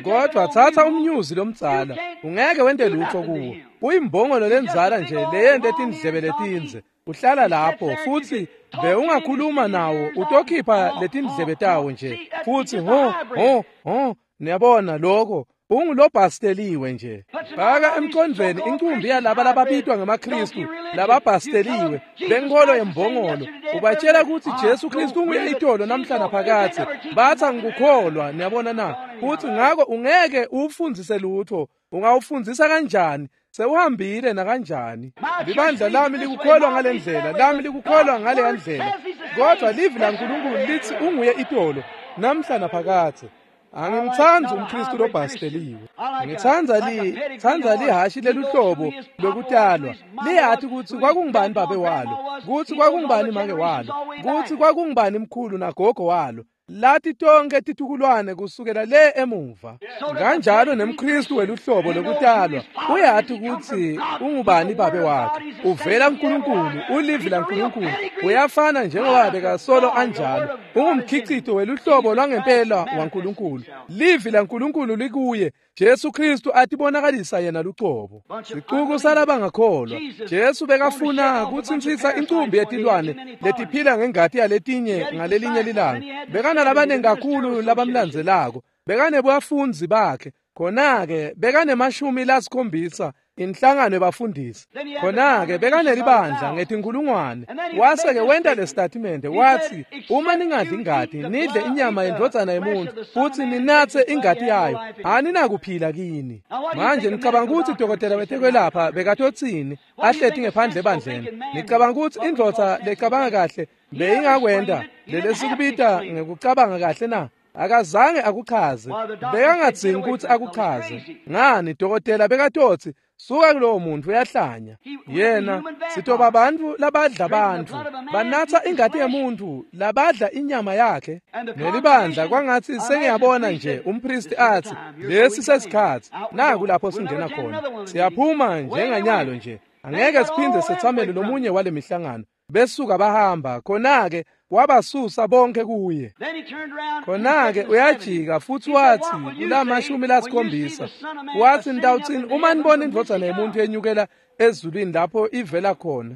Kodwa tsatsa umnyuzi lomdzala, ungeke wente lutho kuwo. Uyimbongolo lendzala nje leyente tindlebe letindze. Uhlala lapho futhi bewungakhuluma nawo, utokhipha letindlebe tawo nje futhi ho ho ho. Niyabona lokho ungulobhasteliwe nje. Faka emcondvweni incumbi yalaba lababitwa ngemaKristu lababhasteliwe benkolo yembongolo, ubatshela ukuthi Jesu Kristu unguye itolo namhla naphakadze. Bathi angikukholwa. Niyabona na? Futhi ngako ungeke uwufundzise lutho. Ungawufundzisa kanjani? Sewuhambile nakanjani. Libandla lami likukholwa ngale ndlela, lami likukholwa ngale ndlela, kodwa livi laNkulunkulu lithi unguye itolo namhla naphakadze. Angimtsandzi umKristu lobhasteliwe. Ngitsandza li tsandza lihashi leluhlobo lokutalwa. Liyati kutsi kwakungubani babe walo, kutsi kwakungubani make walo, kutsi kwakungubani mkhulu nagogo walo. Lati tonke titukulwane kusukela le emuva. Kanjalo nemKristu weluhlobo lokutalwa uyati kutsi ungubani babe wakhe. Uvela kuNkulunkulu, ulivi laNkulunkulu. Uyafana njengoba bekasolo anjalo. Ungumkhicito weluhlobo lwangempela waNkulunkulu. Livi laNkulunkulu likuye. Jesu Kristu atibonakalisa yena lucobo. Sicuku salabangakholwa. Jesu bekafuna kutsintsitsa incumbi yetilwane letiphila ngengati yaletinye ngalelinye lilanga. Bekanalabanengi kakhulu labamlandzelako. Bekanebafundzi bakhe. Khona-ke bekanemashumi lasikhombisa inhlangano yebafundisi. Khona-ke bekanelibandla ngetinkhulungwane. Wase-ke wenta lesitatimende wathi, uma ningadli ingati, nidle inyama yendvodzana yemuntu, futhi ninatse ingati yayo, aninakuphila kini. Manje nicabanga ukuthi dokotela wetekwelapha bekatotsini ahleti ngephandle ebandleni? Nicabanga ukuthi indvodza lecabanga kahle beyingakwenta lelesikubita ngekucabanga kahle na? Akazange akuchaze, bekangadzingi kutsi akuchaze. Ngani, dokotela bekatotsi suka kulowo muntu uyahlanya. Yena sitoba bantfu labadla bantfu, banatsa ingati yemuntu, labadla inyama yakhe. Nelibandla kwangatsi sengiyabona nje umpristi atsi lesi sesikhatsi, naku lapho singena khona. Siyaphuma njenganyalo nje, angeke siphindze setsamele lomunye wale mihlangano. Besuka bahamba, khona-ke wabasusa bonke kuye. Khona-ke uyajika futsi watsi kulamashumi lasikhombisa, watsi nitawutsini uma nibona indvodzana yemuntu yenyukela ezulwini lapho ivela khona?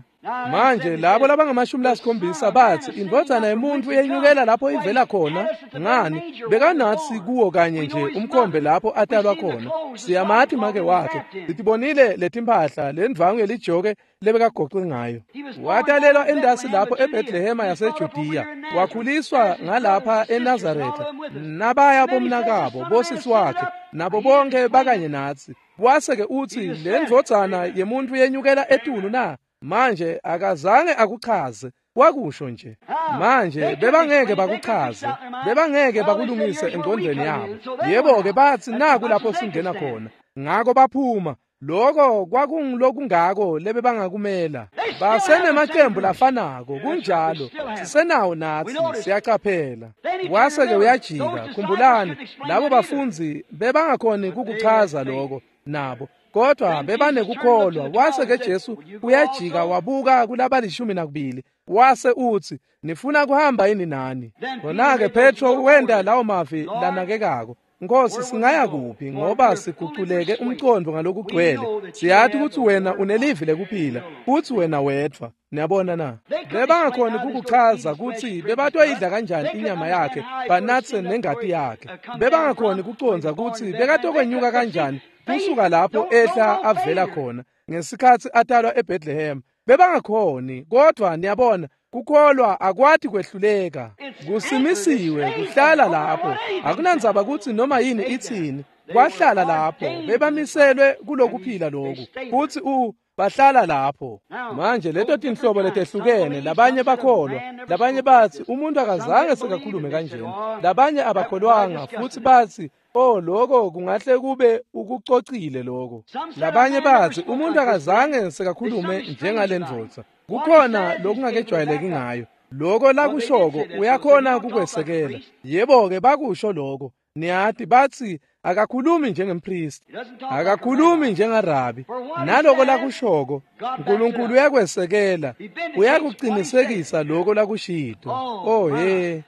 Manje labo labangamashumi lasikhombisa batsi indvodzana yemuntu yenyukela lapho ivela khona. Ngani, bekanatsi kuwo kanye nje umkhombe lapho atalwa khona. Siyamati make wakhe, sitibonile letimpahla lendvangu yelijoke lebekagoqwe ngayo. Watalelwa endasi lapho eBethlehema yaseJudiya, wakhuliswa ngalapha eNazaretha, nabaya bomnakabo bosisi wakhe nabo bonke bakanye natsi. Wase-ke utsi le ndvodzana yemuntu yenyukela etulu na? Manje akazange akuchaze, wakusho nje. Manje bebangeke bakuchaze, bebangeke bakulungise engqondweni yabo. Yebo-ke batsi naku lapho singena khona. Ngako baphuma. Loko kwakungilokungako lebebangakumela. Basenemacembu lafanako, kunjalo. Sisenawo natsi, siyacaphela. Wase-ke uyajika, khumbulani, labo bafundzi bebangakhoni kukuchaza loko nabo. Kodwa bebanekukholwa. Wase-ke Jesu uyajika wabuka kulabalishumi nakubili, wase utsi nifuna kuhamba yini nani? Khona-ke Petro wenta lawo mavi lanakekako. Nkosi, singaya kuphi? Ngoba siguculeke umcondvo ngalokugcwele. Siyati kutsi wena unelivi lekuphila, futsi wena wedvwa. Niyabona na? Bebangakhoni kukuchaza kutsi bebatoyidla kanjani inyama yakhe, banatse nengati yakhe. Bebangakhoni kucondza kutsi bekatokwenyuka kanjani kusuka lapho ehla avela khona ngesikhatsi atalwa eBethlehem. Bebangakhoni, kodwa niyabona, kukholwa akwati kwehluleka. Kusimisiwe kuhlala lapho. Akunandzaba kutsi noma yini itsini, kwahlala lapho. Bebamiselwe kulokuphila loku, futsi u bahlala lapho. Manje leto tinhlobo letehlukene, labanye bakholwa, labanye batsi umuntu akazange sekakhulume kanjena, labanye abakholwanga futsi batsi oh lokho kungahle kube ukucocile lokho. Labanye batsi umuntu akazange sekakhulume njengalendvodza, kukhona lokungakejwayeleki ngayo. Lokho lakushoko uyakhona kukwesekela. Yebo-ke bakusho lokho. Niyati batsi akakhulumi njengempristi, akakhulumi njengarabi. Naloko lakushoko uNkulunkulu uyakwesekela, uyakuqinisekisa lokho lakushito. Oh he,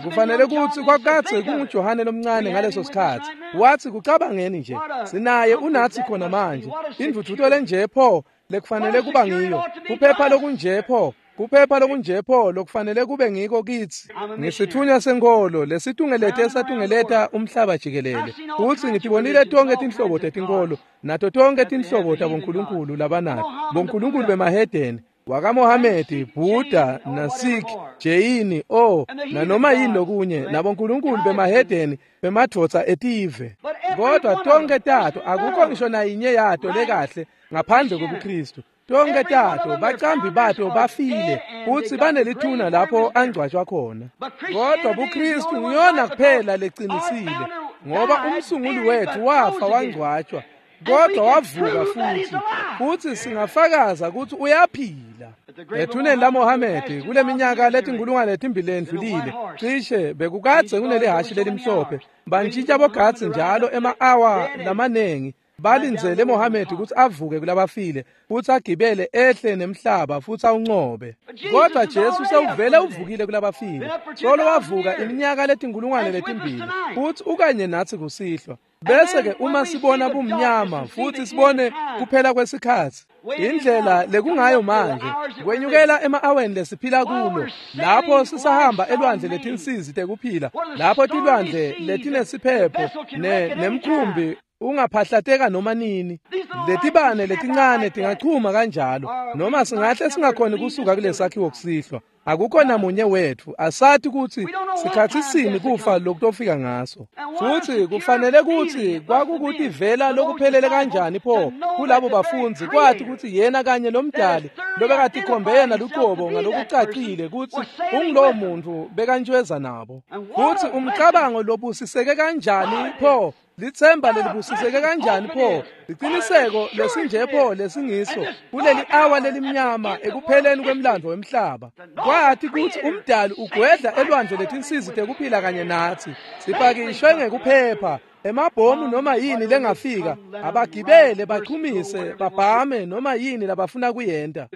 kufanele kutsi kwakadze kunguJohane lomncane ngaleso sikhatsi. Watsi kucabangeni nje, sinaye unatsi khona manje. Indvudvuto lenje pho lekufanele kuba ngiyo, kuphepha lokunje pho, kuphepha lokunje pho lokufanele kube ngiko kitsi. Ngisithunywa senkolo lesitungelete satungeleta umhlaba jikelele, futsi ngitibonile tonke tinhlobo tetinkolo nato tonke tinhlobo tabonkulunkulu labanato, bonkulunkulu bemahedeni, wakaMohamedi, Buddha, naSikh, Jeyini, oh nanoma yini lokunye, nabonkulunkulu bemahedeni bemadvodza etive. Kodwa tonke tato akukho ngisho nayinye yato lekahle ngaphandle kobuKristu. Tonke tato bacambi bato bafile futsi banelithuna lapho angcwatshwa khona. Kodwa buKristu ngiyona kuphela leqinisile, ngoba umsunguli wethu wafa wangcwatshwa, kodwa wavuka futhi, futhi singafakaza ukuthi uyaphila. Ethuneni laMohamedi kule minyaka letinkulungwane letimbili lendlulile, cishe bekukadze kunelihashi lelimhlophe, bantshintsha bogadzi njalo ema-awa lamanengi, balindzele Mohamedi kutsi avuke kulabafile futsi agibele ehle nemhlaba futsi awuncobe. Kodwa Jesu sewuvele uvukile kulabafile, solo wavuka iminyaka letinkulungwane letimbili, futsi ukanye natsi kusihlwa. Bese-ke uma sibona bumnyama futhi sibone kuphela kwesikhatsi, indlela lekungayo manje kwenyukela ema-aweni lesiphila kulo, lapho sisahamba elwandle letinsizi tekuphila, lapho tilwandle letinesiphepho ne nemkhumbi ungaphahlateka noma nini, letibane letincane tingachuma kanjalo, noma singahle singakhoni kusuka kulesakhiwo kusihlwa. Akukho namunye wethu asathi kutsi sikhatsi sini kufa lokutofika ngaso. Futsi kufanele kutsi kwakukutivela lokuphelele kanjani pho kulabo bafundzi kwathi kutsi yena kanye lomdali lobekatikhombe yena luqobo ngalokucacile kutsi ungulowo muntu bekantshweza nabo. Futsi umcabango lobusiseke kanjani pho, litsemba lelibusiseke kanjani pho, liqiniseko lesinje pho lesingiso kuleli awa lelimnyama ekupheleni kwemlandvo wemhlaba. Kwathi kutsi umdali ugwedla elwandle letinsizi tekuphila kanye natsi, sipakishwe ngekuphepha emabhomu noma yini lengafika, abagibele bachumise babhame noma yini labafuna kuyenta.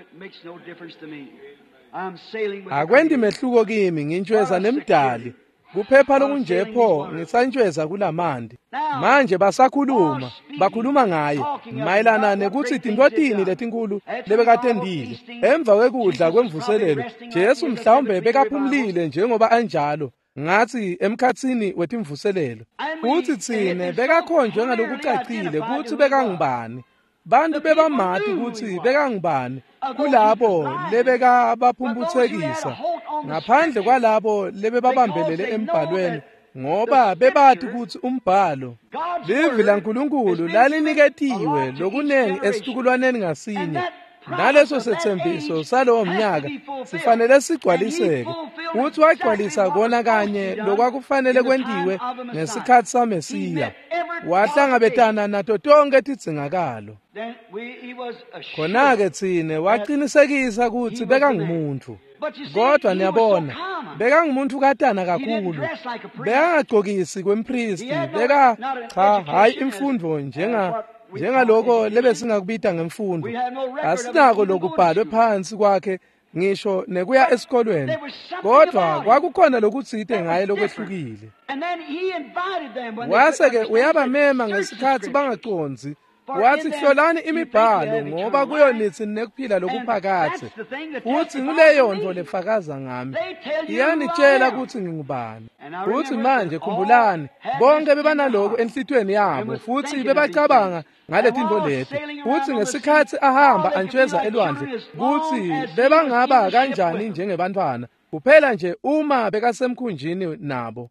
Akwendi mehluko kimi, ngintshweza nemdali. Kuphepha lokunje pho ngisantshweza kulamandi. Manje basakhuluma, bakhuluma ngaye mayelana nekutsi tintfo letinkulu lebekatendile. Emva kwekudla kwemvuselelo, Jesu mhlawumbe bekaphumlile njengoba anjalo ngathi emkhatsini wetimvuselelo. Futsi tsine bekakhonjwe ngalokucacile kutsi bekangubani. Bantu bebamati kutsi bekangubani kulabo lebekabaphumphutsekisa, ngaphandle kwalabo lebebabambelele embhalweni, ngoba bebati kutsi umbhalo livi laNkulunkulu laliniketiwe lokunengi esitukulwaneni ngasinye, naleso setsembiso salowo mnyaka sifanele sigcwaliseke. Futsi wagcwalisa kona kanye lokwakufanele kwentiwe ngesikhatsi saMesiya. Wahlangabetana nato tonke tidzingakalo. Khona-ke tsine waqinisekisa kutsi bekangumuntu. Kodwa niyabona, bekangumuntu katana kakhulu. Bekangagcokisi kwempristi, beka cha hayi imfundo njenga njengaloko lebesingakubita ngemfundo. Asinako lokubhalwe phansi kwakhe ngisho nekuya esikolweni, kodwa kwakukhona lokutsite ngaye lokwehlukile. Wase-ke uyabamema ngesikhatsi bangacondzi. Wathi hlolani imibhalo ngoba kuyo nitsi nekuphila lokuphakadze. Futsi nguleyo nto lefakaza ngami, iyanitshela kutsi ngingubani. Futsi manje khumbulani, bonke bebanaloku enhlitiyweni yabo futsi bebacabanga ngaletintfo leti. Futsi ngesikhatsi ahamba antshweza elwandle, kutsi bebangaba kanjani njengebantfwana kuphela nje uma bekasemkhunjini nabo.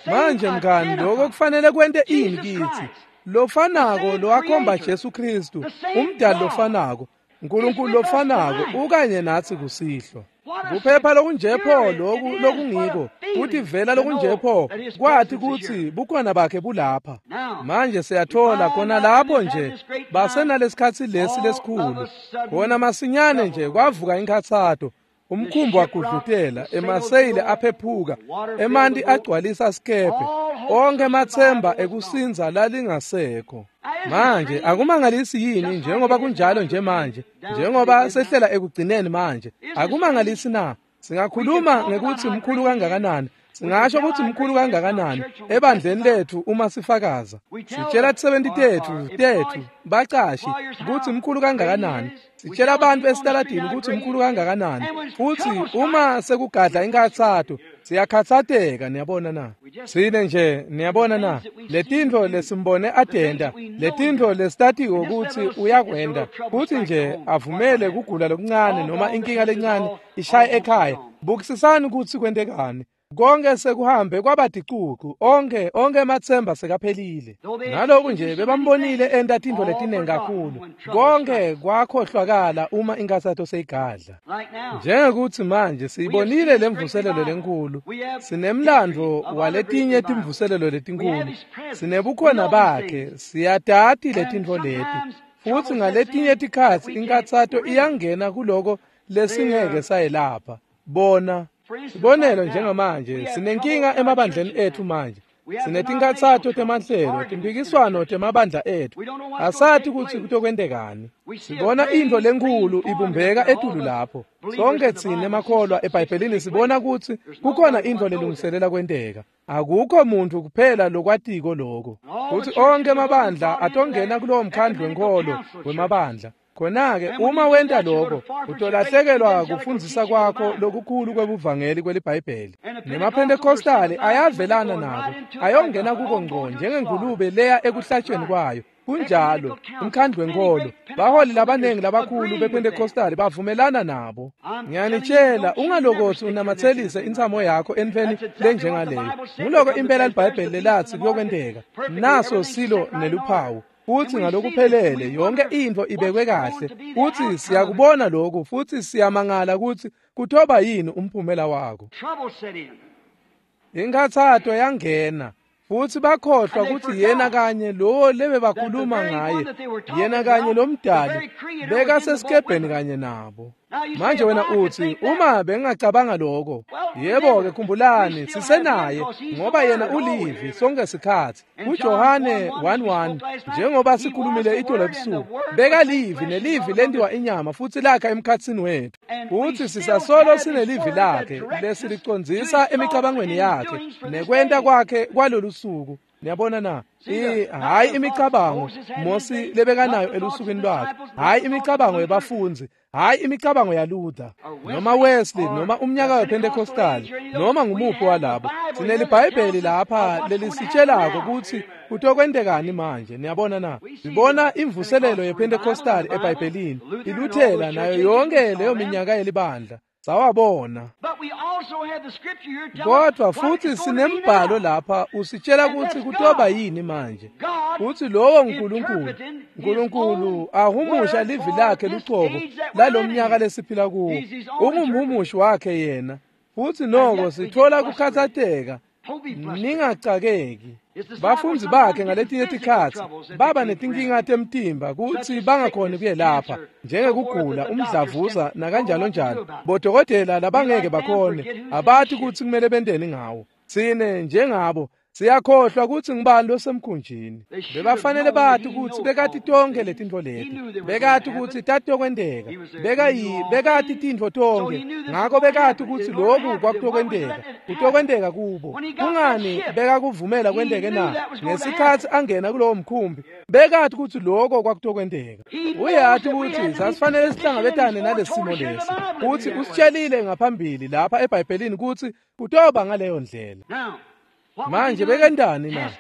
Manje mngani, lokho kufanele kwente ini kitsi? Lofanako lowakhomba Jesu Kristu, umdali lofanako, uNkulunkulu lofanako ukanye natsi kusihlwa. Kuphepha lokunje pho loku lokungiko, kutivela lokunje pho kwathi kutsi bukhona bakhe bulapha. Manje siyathola khona lapho nje basenalesikhatsi lesi lesikhulu, khona masinyane nje kwavuka inkhatsato. Umkhumbi wagudlutela, emaseyili aphephuka, emanti agcwalisa sikebhe, onke ematsemba ekusinza lalingasekho. Manje akumangalisi yini njengoba kunjalo nje manje, njengoba sehlela ekugcineni manje, akumangalisi na? Singakhuluma ngekuthi mkhulu kangakanani, singasho ukuthi mkhulu kangakanani ebandleni lethu uma sifakaza. Sitshela tisebenti tethu tethu bacashi ukuthi mkhulu kangakanani, sitshela abantu esitaladini ukuthi mkhulu kangakanani. Futhi uma sekugadla inkathato siyakhatsateka. Niyabona na? Sine nje, niyabona na? Letintfo lesimbone atenda, letintfo lesitatiko ukuthi uyakwenda, futhi nje avumele kugula lokuncane noma inkinga lencane ishaye ekhaya. Bukisisani ukuthi kwentekani. Konke sekuhambe kwabadicucu, onke onke ematsemba sekaphelile. Naloku nje bebambonile enta tintfo letinengi kakhulu, konke kwakhohlwakala uma inkathato seyigadla. Njengekuthi manje siyibonile lemvuselelo lenkulu, sinemlandvo waletinye timvuselelo letinkulu, sinebukhona bakhe, siyatati letintfo leti. Futsi ngaletinye tikhatsi inkathato iyangena kuloko lesingeke sayelapha. Bona sibonelo njengamanje sinenkinga emabandleni ethu manje. Sinetinkhatsato temahlelo, timphikiswano temabandla ethu. Asathi kutsi kutokwentekani. Sibona intfo lenkhulu ibumbeka etulu lapho. Sonke tsine makholwa eBhayibhelini sibona kutsi kukhona intfo lelungiselela kwenteka. Akukho muntu kuphela lokwatiko lokho. Kutsi onke emabandla atongena kulowo mkhandlu wenkholo wemabandla. Khona-ke uma wenta lokho, utolahlekelwa kufundzisa kwakho lokukhulu kwebuvangeli kweliBhayibheli. NemaPhentekostali ayavelana nako, ayongena kuko ngco njengengulube leya ekuhlatshweni kwayo. Kunjalo, umkhandlu wenkolo, baholi labanengi labakhulu bePentecostal bavumelana nabo. Ngiyanitshela, ungalokothi unamathelise intsamo yakho entfweni lenjengaleyo. Nguloko impela liBhayibheli lelatsi kuyokwenteka. Naso silo neluphawu. Futhi ngalokuphelele yonke intfo ibekwe kahle. Futhi siyakubona lokhu futhi siyamangala ukuthi kutoba yini umphumela wako. Inkhathato yangena. Futhi bakhohlwa ukuthi yena kanye lowo lebebakhuluma ngaye, yena kanye lomdali bekasesikebheni kanye nabo. Manje wena uthi, uma bengingacabanga lokho, yebo-ke khumbulani sisenaye ngoba yena ulivi sonke sikhathi. KuJohane one one njengoba sikhulumile itolo ebusuku, bekalivi nelivi lentiwa inyama futhi lakha emkhatsini wethu. Futhi sisasolo sinelivi lakhe lesilicondzisa emicabangweni yakhe nekwenta kwakhe kwalolu suku. Niyabona na? Hhayi imicabango Mosi lebekanayo elusukwini lwakhe, hhayi imicabango yebafundzi, hhayi imicabango yaLuther noma Wesley noma umnyaka wePentecostal noma ngumuphi walabo. SineliBhayibheli lapha lelisitshelako ukuthi kutokwentekani manje. Niyabona na? Sibona imvuselelo yePentecostal eBhayibhelini, iLuthela nayo yonke leyo minyaka yelibandla. Sawabona. Kodwa futhi sinembhalo lapha usitshela ukuthi kutoba yini manje. Uthi lowo nguNkulunkulu, uNkulunkulu ahumusha livi lakhe lucobo lalomnyaka lesiphila kuwo. Ungumhumushi wakhe yena. Futhi noko sithola kukhathatheka. Ningacakeki. Bafundzi bakhe ngaletinye tikhatsi baba netinkinga temtimba kutsi bangakhoni kuyelapha njengekugula, umdlavuza nakanjalo njalo. Bodokotela labangeke bakhone abathi kutsi kumele benteni ngawo. Tsine njengabo siyakhohlwa kutsi ngibani losemkhunjini. Bebafanele bathi kutsi bekati tonkhe letintfo leti, bekati kutsi tatokwenteka, bekayi bekati tintfo tonkhe, ngako bekati kutsi loku kwakutokwenteka, kutokwenteka kubo. Kungani bekakuvumela kwenteke na? Ngesikhatsi angena kulowo mkhumbi, bekati kutsi loko kwakutokwenteka. Uyati kutsi sasifanele sihlangabetane nalesimo lesi, kutsi usitshelile ngaphambili lapha eBhayibhelini kutsi kutoba ngaleyo ndlela. Manje bekentani na?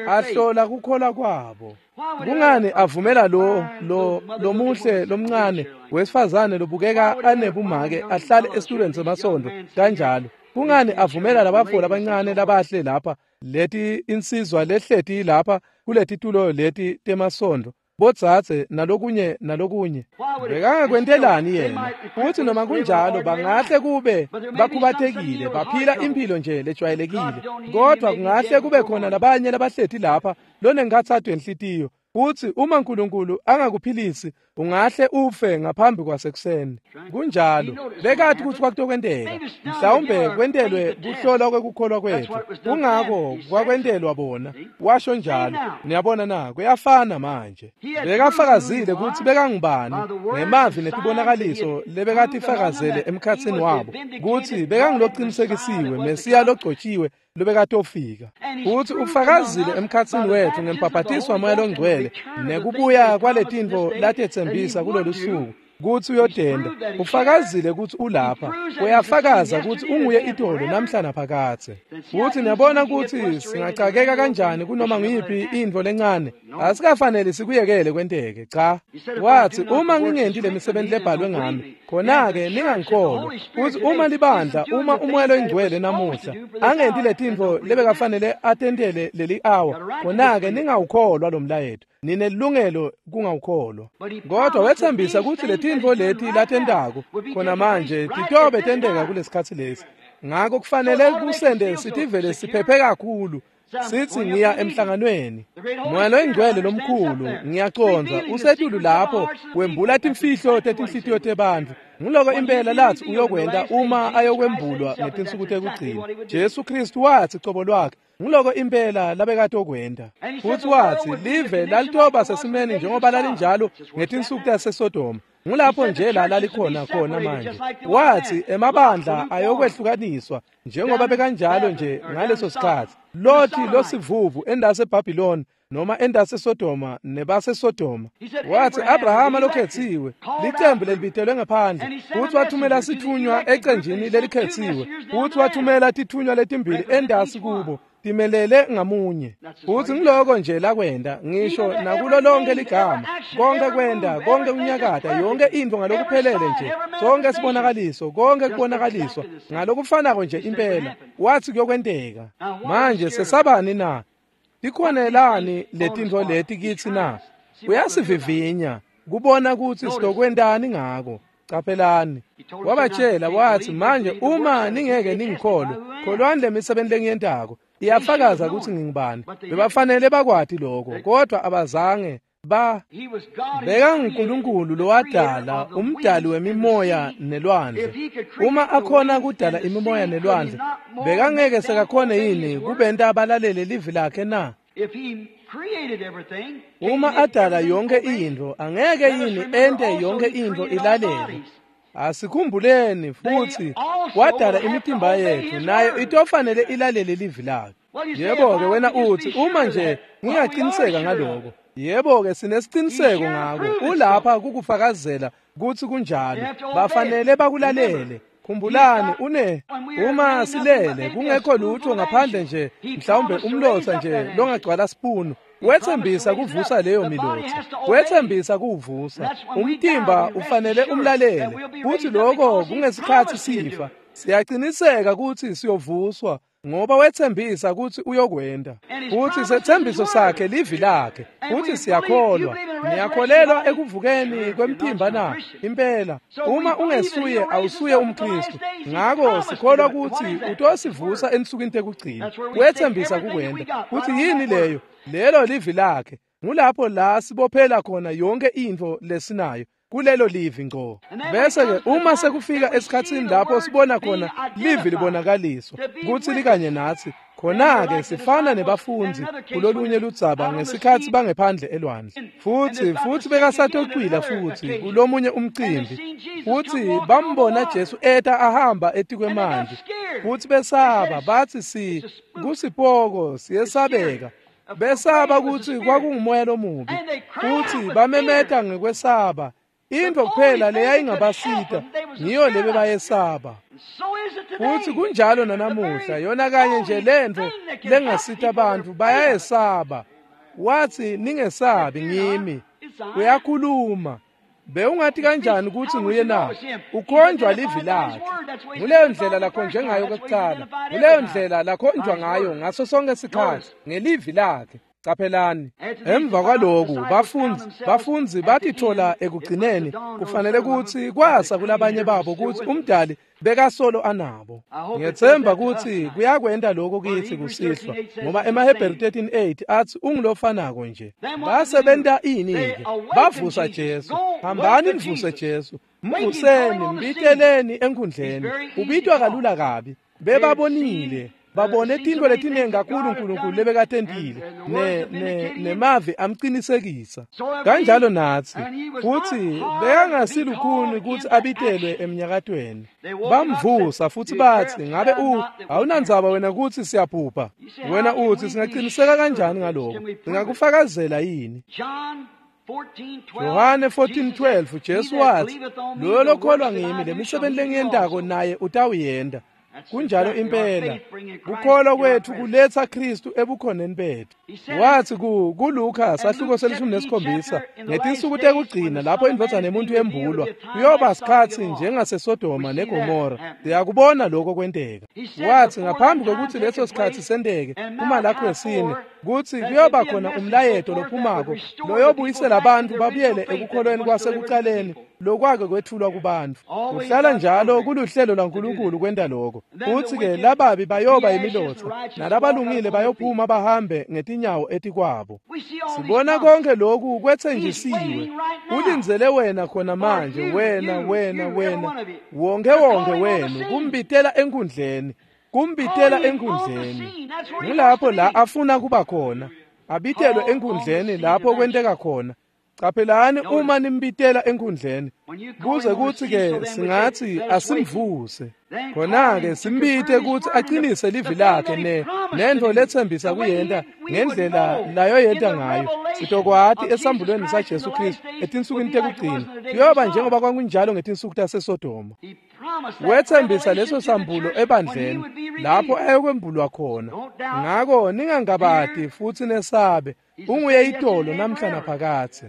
Ahlola kukholwa kwabo. Kungani avumela lo lo lomuhle lomncane wesifazane lobukeka anebumake ahlale esitulweni semasondo kanjalo? Kungani avumela labafo labancane labahle lapha, leti insizwa lehleti lapha kuletitulo leti temasondo, bodzadze nalokunye nalokunye? Bekangakwentelani yena? Futhi noma kunjalo bangahle kube bakhubatekile, baphila impilo nje lejwayelekile, kodwa kungahle kube khona labanye labahleti lapha lonenkhatsato yenhlitiyo. Futhi uma uNkulunkulu angakuphilisi ungahle ufe ngaphambi kwasekuseni. Kunjalo, bekati ukuthi kwakutokwenteka. Mhlawumbe kwentelwe kuhlolwa kwekukholwa kwethu, kungako kwakwentelwa bona. Washo njalo. Niyabona na? Kuyafana manje. Bekafakazile kutsi bekangubani ngemavi netibonakaliso lebekatifakazele emkhatsini wabo, kutsi bekangilocinisekisiwe Mesiya logcotshiwe lobekatofika. Futhi ufakazile emkhatsini wethu ngembhaphatiswa Moya loNgcwele nekubuya kwaletintfo latetsembisa kulolu suku kutsi uyotenda. Ufakazile kutsi ulapha, uyafakaza kutsi unguye itolo namhla naphakadze. Futhi niyabona kutsi singacakeka kanjani kunoma ngiyiphi intfo lencane. Asikafanele sikuyekele kwenteke. Cha, wathi uma ngingenti lemisebenzi lebhalwe ngami, khona-ke ningangikholwa. Futhi uma libandla, uma uMoya loNgcwele namuhla angenti letintfo lebekafanele atentele leli awa, khona-ke ningawukholwa lo mlayeto. Ninelungelo kungawukholwa. Kodwa wethembisa kutsi letintfo leti latentako khona manje titobe tenteka kulesikhatsi lesi. Ngako kufanele kusende sitivele siphephe kakhulu. Sithi ngiya emhlanganweni. Moya loNgcwele lomkhulu, ngiyacondza, usetulu lapho wembula timfihlo tetinhlitiyo tebantfu. Nguloko impela lathi uyokwenta uma ayokwembulwa ngetinsuku tekugcina. Jesu Kristu wathi cobo lwakhe, nguloko impela labekatokwenta. Futhi wathi live lalitoba sesimeni njengoba lalinjalo ngetinsuku taseSodoma. Ngulapho nje la lalikhona khona manje. Wathi emabandla ayokwehlukaniswa njengoba bekanjalo nje ngaleso sikhatsi. Lothi losivuvu endase eBhabhiloni noma endase Sodoma nebase Sodoma. Wathi Abrahama lokhethiwe, licembu lelibitelwe ngaphandle, futhi wathumela sithunywa ecenjini lelikhethiwe, futhi wathumela tithunywa letimbili endasi kubo, Timelele ngamunye. Futsi ngiloko nje lakwenta, ngisho nakulo lonke ligama, konke kwenta, konke kunyakata, yonke intfo ngalokuphelele nje, sonke sibonakaliso, konke kubonakaliswa ngalokufanako nje impela. Watsi kuyokwenteka. Manje sesabani na? Tikhonelani letintfo leti kitsi na? Uyasivivinya kubona kutsi sitokwentani ngako. Caphelani, wabatshela watsi, manje uma ningeke ningikholwe, kholwani lemisebenti lengiyentako iyafakaza kutsi ngingubani. Bebafanele bakwati lokho, kodwa abazange ba bekanguNkulunkulu lowadala, umdali wemimoya nelwandle. Uma akhona kudala imimoya nelwandle, bekangeke sekakhone yini kubenta abalalele livi lakhe na? Uma adala yonke intfo, angeke yini ente yonke intfo ilalele? Asikhumbuleni futhi wadala imitimba yethu, nayo itofanele ilalele livi lakhe. Yebo-ke wena uthi, uma nje ngingaqiniseka ngaloko. Yebo-ke sinesiciniseko ngako. Ulapha kukufakazela kutsi kunjalo. Bafanele bakulalele. Khumbulani, une uma silele kungekho lutho ngaphandle nje mhlawumbe umlotsa nje longagcwala sipunu. Wethembisa kuvusa leyo milotsa, wethembisa kuvusa umtimba, ufanele umlalele. Futhi lokho kungesikhathi sifa, siyaqiniseka ukuthi siyovuswa ngoba wethembisa ukuthi uyokwenda. Futhi sethembiso sakhe livi lakhe, futhi siyakholwa. Niyakholelwa ekuvukeni kwemtimba na? Impela. Uma ungesuye awusuye umKristu. Ngako sikholwa ukuthi utosivusa ensukwini tekugcina. Wethembisa kukwenda. Futhi yini leyo? Lelo livi lakhe. Ngulapho la sibophela khona yonke intfo lesinayo, kulelo livi ngco. Bese ke uma sekufika esikhatsini lapho sibona khona livi libonakaliswa kutsi likanye natsi, khona-ke sifana nebafundzi kulolunye ludzaba ngesikhatsi bangephandle elwandle. Futsi futsi bekasatocwila futsi kulomunye umcimbi, futsi bambona Jesu eta ahamba etikwemanti, futsi besaba, batsi si kusipoko siyesabeka. Besaba kutsi kwakungumoya lomubi, futsi bamemeta ngekwesaba. Intfo kuphela leyayingabasita ngiyo lebe bayesaba. Futsi kunjalo nanamuhla, yona kanye nje lentfo lengasita bantfu bayayesaba. Watsi, ningesabi, ngimi. Uyakhuluma. Bewungati kanjani kutsi nguye na? Ukhonjwa livi lakhe. Nguleyo ndlela lakhonjwe ngayo kwekucala, nguleyo ndlela lakhonjwa ngayo ngaso sonke sikhatsi, ngelivi lakhe. Caphelani, emva kwaloku bafundzi bafundzi batithola ekugcineni kufanele kutsi kwasa kulabanye babo kutsi umdali bekasolo anabo. Ngiyethemba kutsi kuyakwenta lokho kithi kusihlwa, ngoba emaHebheru thirteen eight atsi ungulofanako nje. Basebenta ini-ke? Bavusa Jesu. Hambani nivuse Jesu, mvuseni, mbiteleni enkhundleni. Ubitwa kalula kabi. Bebabonile, babone tintfo letiningi kakhulu uNkulunkulu lebekatentile, ne ne nemavi amqinisekisa. Kanjalo natsi futsi bekangasilukhuni kutsi abitelwe emnyakatweni. Bamvusa futhi batsi, ngabe u awunandzaba wena kutsi siyaphupha? Wena utsi singaqiniseka kanjani ngaloko? Singakufakazela yini? Yohane fourteen twelve, Jesu watsi, loyo lokholwa ngimi, lemisebenti lengiyentako naye utawuyenta. Kunjalo impela, kukholwa kwethu kuletsa Kristu ebukhoneni bethu. Watsi ku kuLuka sahluko selishumi nesikhombisa, ngetinsuku tekugcina lapho indvodzana yemuntu yembulwa, kuyoba sikhatsi njengaseSodoma neGomora. Siyakubona lokho kwenteka. Watsi ngaphambi kwekutsi leso sikhatsi senteke, kuMalakhi wesine, kutsi kuyoba khona umlayeto lophumako loyobuyisela abantu babuyele ekukholweni kwasekucaleni lokwake kwethulwa kubantu. Kuhlala njalo kuluhlelo lwaNkulunkulu kwenta lokho. Futsi-ke lababi bayoba imilotsa, nalabalungile bayophuma bahambe ngetinyawo etikwabo. Sibona konke lokhu kwetsenjisiwe. Ulindzele wena khona manje, wena, wena, wena, wonke wonke wenu, kumbitela enkundleni, kumbitela enkundleni. Ngulapho la afuna kuba khona, abitelwe enkundleni lapho kwenteka khona. Caphelani uma nimbitela enkundleni, kuze kutsi-ke singatsi asimvuse. Khona-ke simbite kutsi aqinise livi lakhe ne nentfo letsembisa kuyenta ngendlela layoyenta ngayo. Sitokwati esambulweni saJesu Kristu etinsukwini tekugcina, kuyoba njengoba kwakunjalo ngetinsuku taseSodoma. Wetsembisa leso sambulo ebandleni lapho ayokwembulwa khona. Ngako ningangabati futhi nesabe, unguye itolo namhla naphakathe.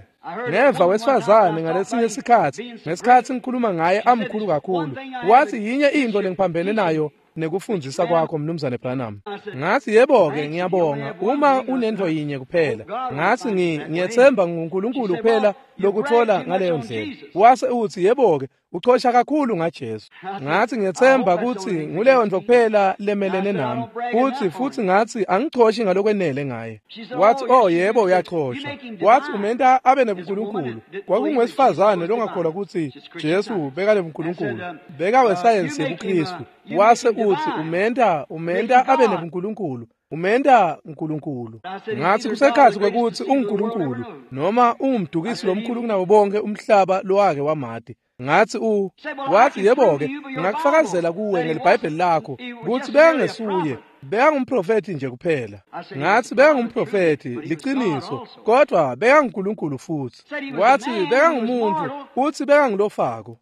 Neva wesifazane ngalesinye isikhathi, ngesikhathi ngikhuluma ngaye amkhulu kakhulu, wathi yinye into lengiphambene nayo nekufundzisa kwakho Mnumzane Branham. Ngathi yebo-ke ngiyabonga uma unento yinye kuphela. Ngathi ngiyethemba nguNkulunkulu kuphela lokuthola ngaleyo ndlela. Wase uthi yebo-ke uchosha kakhulu ngaJesu. Ngathi ngiyethemba ukuthi nguleyo nto kuphela lemelene nami. Futhi futhi ngathi angichoshi ngalokwenele ngaye. Wathi oh yebo uyachosha. Wathi umenta abe nebuNkulunkulu. Kwakungwesifazane longakholwa ukuthi Jesu bekane buNkulunkulu. Bekawesayensi yebuKristu. Wase uthi umenta umenta abe nebuNkulunkulu. Umenta uNkulunkulu. Ngathi kusekhathi kwekuthi unguNkulunkulu noma ungumdukisi lomkhulu kunabo bonke umhlaba lowake wamati. Ngathi u wathi yebo-ke ngingakufakazela kuwe ngeliBhayibheli lakho ukuthi bekangesuye, bekangumprofethi nje kuphela. Ngathi bekangumprofethi liciniso, kodwa bekanguNkulunkulu futhi. Wathi bekangumuntu futhi bekangulofako.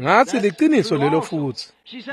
Ngathi liciniso lelo futhi.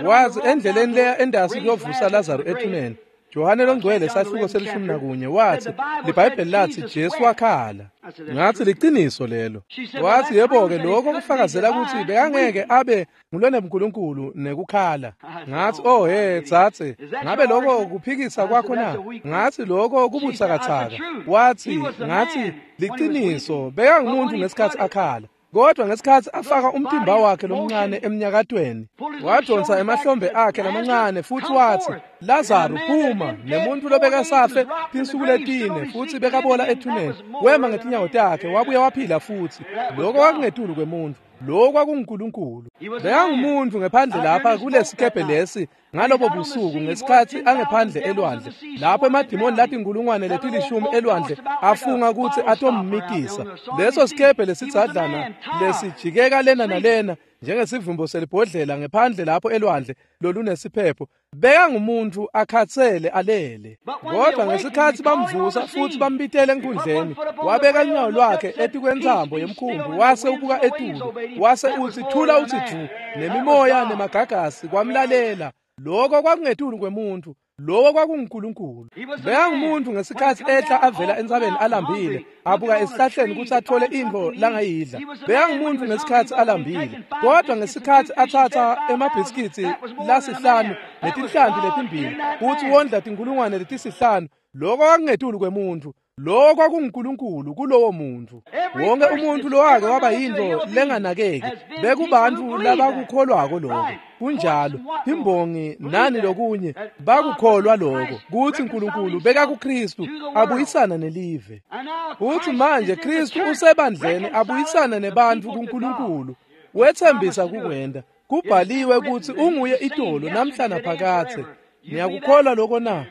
Wathi endleleni leya endasi kuyovusa Lazaro ethuneni, Johane longcwele sahluko selishumi nakunye wathi liBhayibheli lathi Jesu wakhala. Ngathi liciniso lelo. Wathi yebo-ke lokho kufakazela ukuthi bekangeke abe ngulonebuNkulunkulu nekukhala. Ngathi oh he tsatse, ngabe lokho kuphikisa kwakho na? Ngathi lokho kubutsakatsaka. Wathi ngathi liciniso bekangumuntu ngesikhathi akhala. Kodwa ngesikhathi afaka umtimba wakhe lomncane emnyakatweni, wadonsa emahlombe akhe lamancane futhi wathi Lazaro phuma, nemuntu lobekasafe tinsuku letine futhi bekabola ethuneni, wema ngetinyawo takhe wabuya waphila futhi. Lokho kwakungetulu kwemuntu, lokho kwakunguNkulunkulu. Bekangumuntu ngephandle lapha kulesikebhe lesi ngalobo busuku ngesikhathi angephandle elwandle, lapho emadimoni lathi inkulungwane letilishumi elwandle afunga ukuthi atommitisa. Leso sikebhe lesitsadlana lesijikeka lena nalena njengesivimbo selibhodlela ngephandle lapho elwandle lolunesiphepho, bekangumuntu akhathele alele. Kodwa ngesikhathi bamvusa futhi bambitele enkundleni, wabeka unyawo lwakhe etikwentsambo yemkhumbi wase ubuka etulu, wase uthi thula uthi ju, nemimoya nemagagasi kwamlalela. Lokho kwakungetulu kwemuntu, lokho kwakunguNkulunkulu. Bekangumuntu ngesikhathi ehla avela entsabeni alambile, abuka esihlahleni ukuthi athole intfo langayidla. Bekangumuntu ngesikhathi alambile, kodwa ngesikhathi athatha emabhisikiti lasihlanu netinhlanti letimbili futhi wondla tinkulungwane letisihlanu, lokho kwakungetulu kwemuntu. Lokho kwakunguNkulunkulu kulowo muntu. Wonke umuntu lowake waba yintfo lenganakeki bekubantu labakukholwako lokho. Kunjalo, imbongi nani lokunye bakukholwa lokho kuthi uNkulunkulu bekakuKristu abuyisana nelive. Uthi manje Kristu usebandleni abuyisana nebantu kuNkulunkulu. Wethembisa kukwenda. Kubhaliwe ukuthi unguye itolo namhla naphakathe. Niyakukholwa lokho na?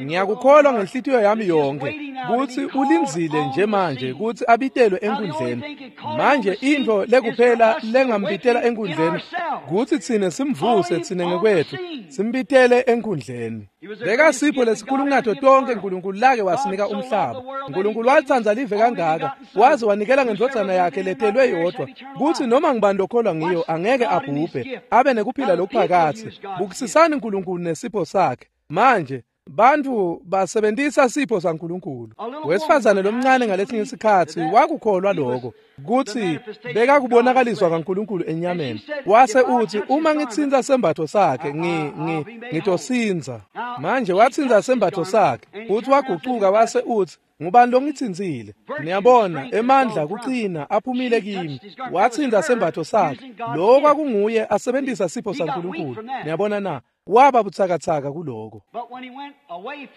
Ngiyakukholwa ngenhlitiyo yami yonke kuthi ulindzile nje manje kuthi abitelwe enkundleni. Manje intfo lekuphela lengambitela enkundleni kuthi tsine simvuse tsine ngekwethu simbitele enkundleni. Bekasipho lesikhulu kunato tonke uNkulunkulu lake wasinika umhlaba. uNkulunkulu walitsandza live kangaka waze wanikela ngendvodzana yakhe letelwe yodwa kuthi noma ngibani lokholwa ngiyo angeke abhubhe abe nekuphila lokuphakathe. Bukisisani uNkulunkulu nesipho sakhe. Manje bantu basebenzisa sipho saNkulunkulu. Wesifazane lomncane ngalesinye isikhathi wakukholwa lokho kuthi bekakubonakaliswa kaNkulunkulu enyameni. Wase uthi uma ngitsinza sembatho sakhe ngi ngi ngitosinza. Manje watsinza sembatho sakhe futhi wagucuka wase uthi ngubani longitsinzile? Niyabona emandla kucina aphumile kimi. Watsinza sembatho sakhe. Lokho kwakunguye asebenzisa sipho saNkulunkulu. Niyabona na? Waba butsakatsaka kuloko.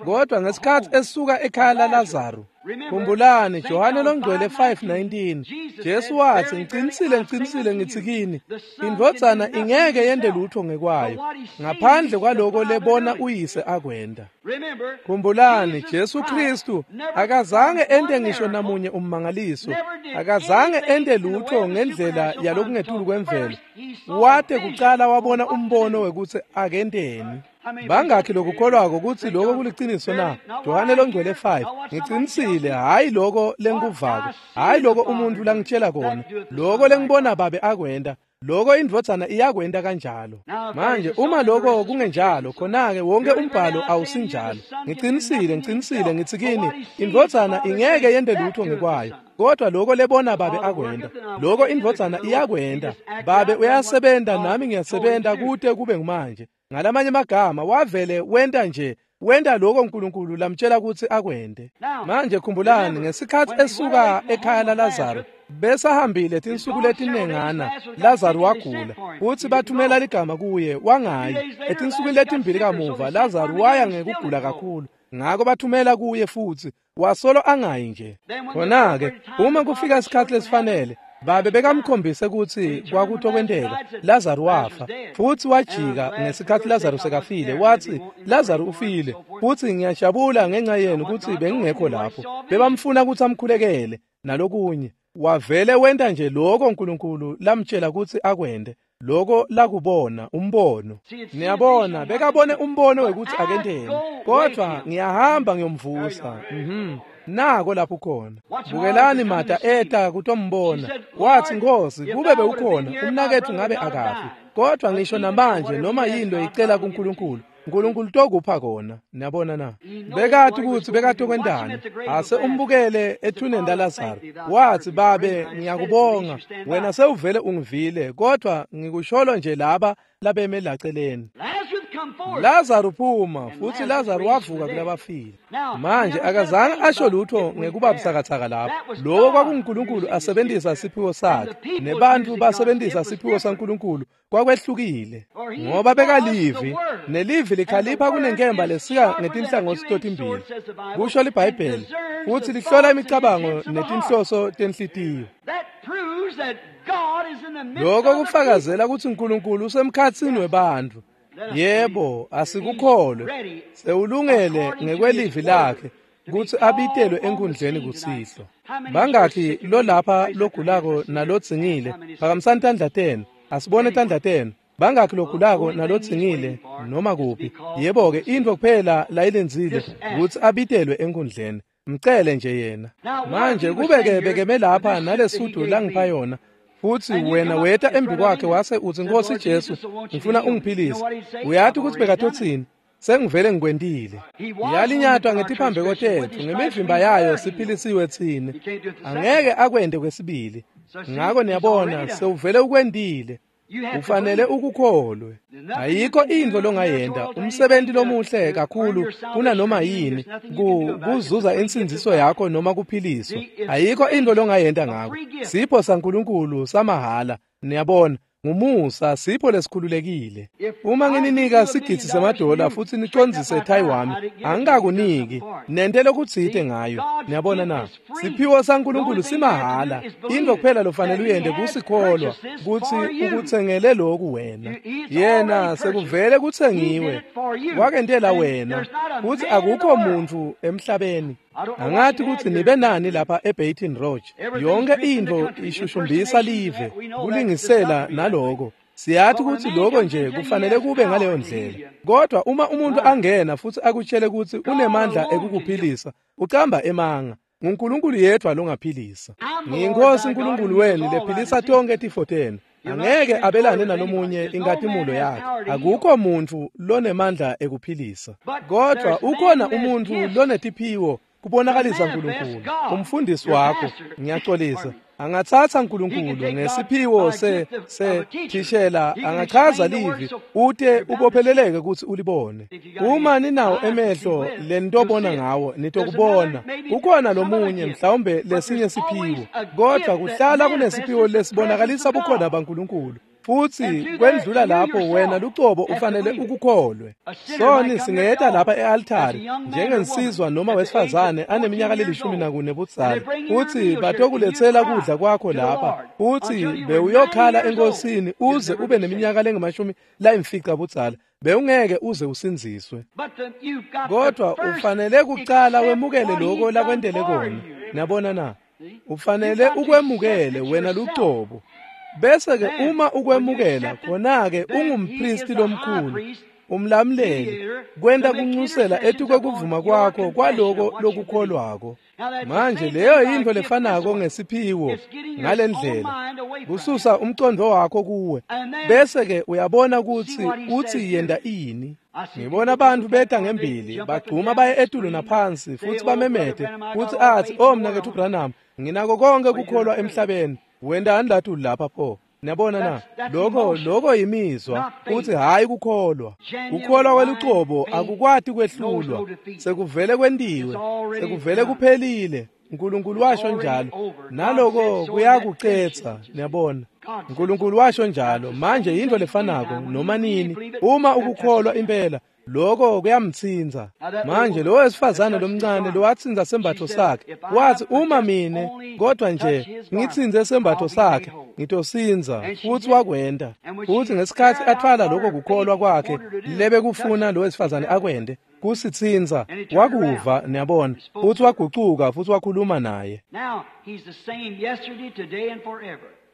Kodwa ngesikhathi esuka ekhaya laLazaro, khumbulani Johane longcwele five nineteen, Jesu wathi ngicinisile ngicinisile ngithi kini, indvodzana ingeke yende lutho ngekwayo ngaphandle kwaloko lebona uyise akwenda. Khumbulani Jesu Kristu akazange ente ngisho namunye ummangaliso, akazange ente lutho ngendlela yalokungetulu kwemvelo. Wate kucala wabona umbono wekuthi akenteni. Bangakhi lokukholwako ukuthi lokho kuliciniso na? Johane longcwele five, ngicinisile hayi lokho lengikuvako, hayi lokho umuntu langitshela kona, lokho lengibona babe akwenda, Lokho indvodzana iyakwenta kanjalo. Manje uma lokho kungenjalo, khona-ke wonke umbhalo awusinjalo. Ngicinisile, ngicinisile ngitsi kini, indvodzana ingeke yente lutho ngekwayo, kodwa lokho lebona babe akwenta, lokho indvodzana iyakwenta. Babe uyasebenta nami ngiyasebenta kute kube ngumanje. Ngalamanye amagama wavele wenta nje wenta lokho uNkulunkulu lamtshela ukuthi akwente. Manje khumbulani ngesikhathi esuka ekhaya laLazaro besahambile tinsuku letinengana, Lazaro wagula futhi bathumela ligama kuye wangayi. Etinsukwini letimbili kamuva Lazaro waya ngekugula kakhulu, ngakho bathumela kuye futhi wasolo angayi nje. Khona-ke uma kufika isikhathi lesifanele, babe bekamkhombise ukuthi kwakutokwenteka. Lazaro wafa futhi wajika ngesikhathi Lazaro sekafile, wathi Lazaro ufile futhi ngiyajabula ngenxa yenu ukuthi bengingekho lapho. Bebamfuna ukuthi amkhulekele nalokunye. Wavele wenta nje lokho uNkulunkulu lamtshela ukuthi akwente, lokho lakubona umbono. Niyabona, bekabone umbono wekuthi akenteni, kodwa ngiyahamba ngiyomvusa. Mhm. Nako lapho khona. Bukelani Martha eta kutombona. Wathi, Nkosi, kube bewukhona umnakethu ngabe akafi. Kodwa ngisho namanje noma yinto icela kuNkulunkulu, uNkulunkulu tokupha kona. Niyabona na? Bekathi ukuthi bekatokwentani. Ase umbukele ethuneni laLazaro. Wathi, Babe, ngiyakubonga, wena sewuvele ungivile, kodwa ngikusholo nje laba labeme laceleni. Lazaro phuma, futhi Lazaro wavuka kulabafile. Manje akazange asho lutho ngekuba butsakatsaka lapho. Lokho kwakunguNkulunkulu asebenzisa siphiwo sakhe, nebantu basebenzisa siphiwo saNkulunkulu kwakwehlukile, ngoba bekalivi, nelivi likhalipha kunenkemba lesika ngetinhlangothi totimbili, kusho liBhayibheli, futhi lihlola imicabango netinhloso tenhlitiyo. Lokho kufakazela ukuthi uNkulunkulu usemkhatsini webantfu. Yebo, asikukholwe. Sewulungele ngekwelivi lakhe kutsi abitelwe enkundleni kusihlwa. Bangakhi lolapha logulako nalodzingile? Phakamisani tandla tenu. Asibone tandla tenu. Bangakhi logulako nalodzingile noma kuphi? Yebo-ke, intfo kuphela layilindzile kutsi abitelwe enkundleni. Mcele nje yena. Manje kube-ke bekeme lapha nalesudu langipha yona, futhi wena weta embi kwakhe wase utsi, Nkosi Jesu, ngifuna ungiphilise. Uyati ukuthi bekatotsini? Sengivele ngikwentile. Yalinyatwa ngetiphambeko tetfu, ngemivimba yayo siphilisiwe tsine. Angeke akwente kwesibili. Ngakho niyabona, sewuvele ukwentile. Ufanele ukukholwe. Ayikho intfo longayenta, umsebenzi lomuhle kakhulu kunanoma yini kuzuza insindziso yakho noma kuphiliswa. Ayikho intfo longayenta ngako. Sipho saNkulunkulu samahhala, niyabona, ngumusa, sipho lesikhululekile. Uma ngininika sigidzi semadola futhi nicondzise thayi wami, angikakuniki, nente lokutsite ngayo. Niyabona na? Siphiwo saNkulunkulu simahhala. Intfo kuphela lofanele uyente kusikholwa kutsi ukutsengele loku wena. Yena sekuvele kutsengiwe, wakentela wena, futhi akukho muntfu emhlabeni. Angathi kutsi nibe nani lapha eBaton Rouge. Yonke intfo ishushumbisa live, kulingisela naloko. Siyathi kutsi lokho nje kufanele kube ngaleyo ndlela. Kodwa uma umuntu angena futhi akutshele kutsi unemandla ekukuphilisa, ucamba emanga. NguNkulunkulu yedwa longaphilisa. NgiyiNkosi uNkulunkulu wenu lephilisa tonke tifo tenu. Angeke abelane nalomunye inkatimulo yakhe. Akukho muntfu lonemandla ekuphilisa. Kodwa ukhona umuntfu lonetiphiwo kubonakalisa uNkulunkulu. Umfundisi wakho, ngiyaxolisa, angatsatsa uNkulunkulu ngesiphiwo se se thishela, angachaza livi ute ubopheleleke kutsi ulibone. Uma ninawo emehlo lenitobona ngawo, nitokubona. Kukhona lomunye mhlawumbe lesinye siphiwo, kodwa kuhlala kunesiphiwo lesibonakalisa bukhona baNkulunkulu. Futhi kwendlula lapho wena lucobo ufanele ukukholwe. Soni singeta lapha e-altari njengensizwa noma wesifazane aneminyaka lelishumi nakune budzala, futhi batokuletsela kudla kwakho lapha, futhi bewuyokhala enkosini uze ube neminyaka lengamashumi layimfica budzala, bewungeke uze usindziswe. Kodwa ufanele kucala wemukele lokho lakwentele kona. Niyabona na? Ufanele ukwemukele wena lucobo. Bese ke uma ukwemukela, khona ke ungumpristi lomkhulu. Umlamuleli kwenta kunxusela etukwekuvuma kwakho kwaloko lokukholwako. Manje leyo yintfo lefanako ngesiphiwo ngalendlela kususa umcondvo wakho kuwe bese ke uyabona kutsi utsi yenta ini. Ngibona bantfu beta ngembili bagcuma baye etulu naphansi futsi bamemete futsi atsi, "Oh mnaketfu Branham, nginako konke kukholwa emhlabeni." Wentani latulu lapha pho? Niyabona na? Lokho lokho yimizwa futhi hayi kukholwa. Kukholwa kwelucobo akukwati kwehlulwa. Sekuvele kwentiwe, sekuvele kuphelile. uNkulunkulu washo njalo. Naloko kuyakucetsa, niyabona. uNkulunkulu washo njalo. Manje yintfo lefanako noma nini uma ukukholwa impela lokho kuyamtsinza. Manje lo wesifazane lomncane lowatsinza sembatfo sakhe wathi, "Uma mine kodwa nje ngitsinze sembatfo sakhe ngitosinza." Futhi wakwenta. Futhi ngesikhathi athwala lokho kukholwa kwakhe lebekufuna lo wesifazane akwente kusitsinza, wakuva, niyabona, futhi wagucuka futhi wakhuluma naye.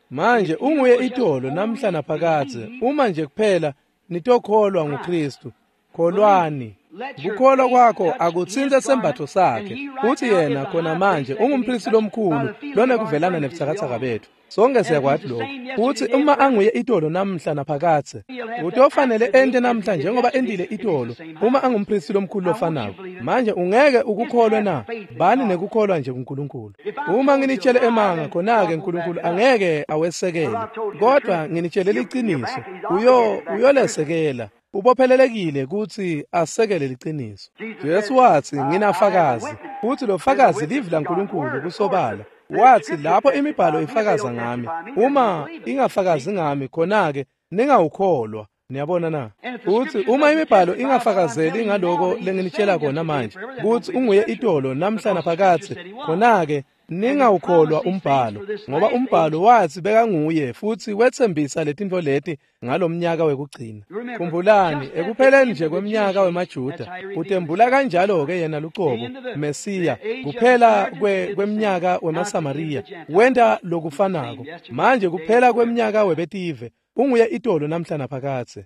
Manje unguye itolo namhla naphakadze uma nje kuphela nitokholwa nguKristu. Kholwani. Kukholwa kwakho akutsintse sembatfo sakhe. Uthi yena khona manje ungumpristi lomkhulu lonekuvelana nebutsakatsaka bethu. Sonke siyakwati lokho. Uthi uma anguye itolo namhla naphakadze utofanele ente namhla njengoba entile itolo uma angumpristi lomkhulu lofanako. Manje ungeke ukukholwe na? Bani nekukholwa nje kuNkulunkulu. Uma nginitshele emanga khona-ke uNkulunkulu angeke awesekele, kodwa nginitshele liciniso, uyo uyolesekela. Ubophelelekile kutsi asekele liciniso. Jesu watsi, "Nginafakazi." Futhi lo fakazi livi laNkulunkulu kusobala. Wathi lapho imibhalo ifakaza ngami, uma ingafakazi ngami khona-ke ningawukholwa. Niyabona na? Uthi uma imibhalo ingafakazeli ngaloko lenginitshela kona manje kutsi unguye itolo namhla naphakadze, khona-ke ningawukholwa umbhalo, ngoba umbhalo wathi bekanguye futhi wetsembisa letintfo leti ngalomnyaka wekugcina. Khumbulani, ekupheleni nje kweminyaka wemaJuda utembula kanjalo-ke yena lucobo Mesiya. Kuphela kwe kweminyaka wemaSamariya wenta lokufanako. Manje kuphela kweminyaka webetive unguye itolo namhla naphakadze.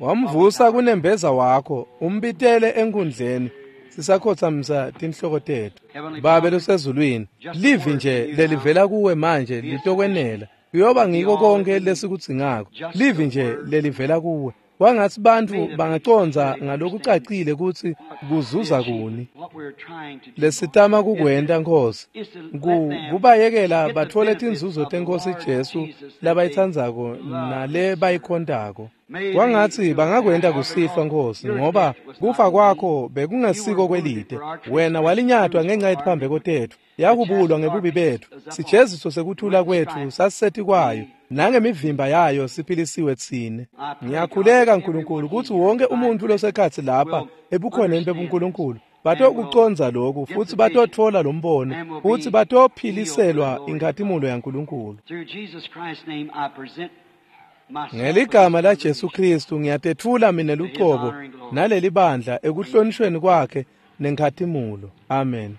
Wamvusa kunembeza wakho umbitele enkundleni. Sisakhothamisa tinhloko tethu. Babe losezulwini, livi nje lelivela kuwe manje litokwenela. Kuyoba ngiko konke lesikudzingako. Livi nje lelivela kuwe. Kwangatsi bantfu bangacondza ngalokucacile kutsi kuzuza kuni lesitama kukwenta, Nkosi, kubayekela batfole tinzuzo tenkosi Jesu labayitsandzako nale bayikhontako. Kwangatsi bangakwenta kusihlwa, Nkosi, ngoba kufa kwakho bekungesiko kwelide. Wena walinyatwa ngenxa yetiphambeko tetfu, yakubulwa ngebubi betfu. Sijeziso sekuthula kwetfu sasisetikwayo, nangemivimba yayo siphilisiwe tsine. Ngiyakhuleka Nkulunkulu kutsi wonke umuntfu losekhatsi lapha ebukhoneni bebuNkulunkulu batokucondza lokhu futhi batotfola lo mbono futhi batophiliselwa inkhatimulo yaNkulunkulu. Ngeligama la Jesu Kristu ngiyatetfula mina lucobo naleli bandla ekuhlonishweni kwakhe nenkhatimulo. Amen.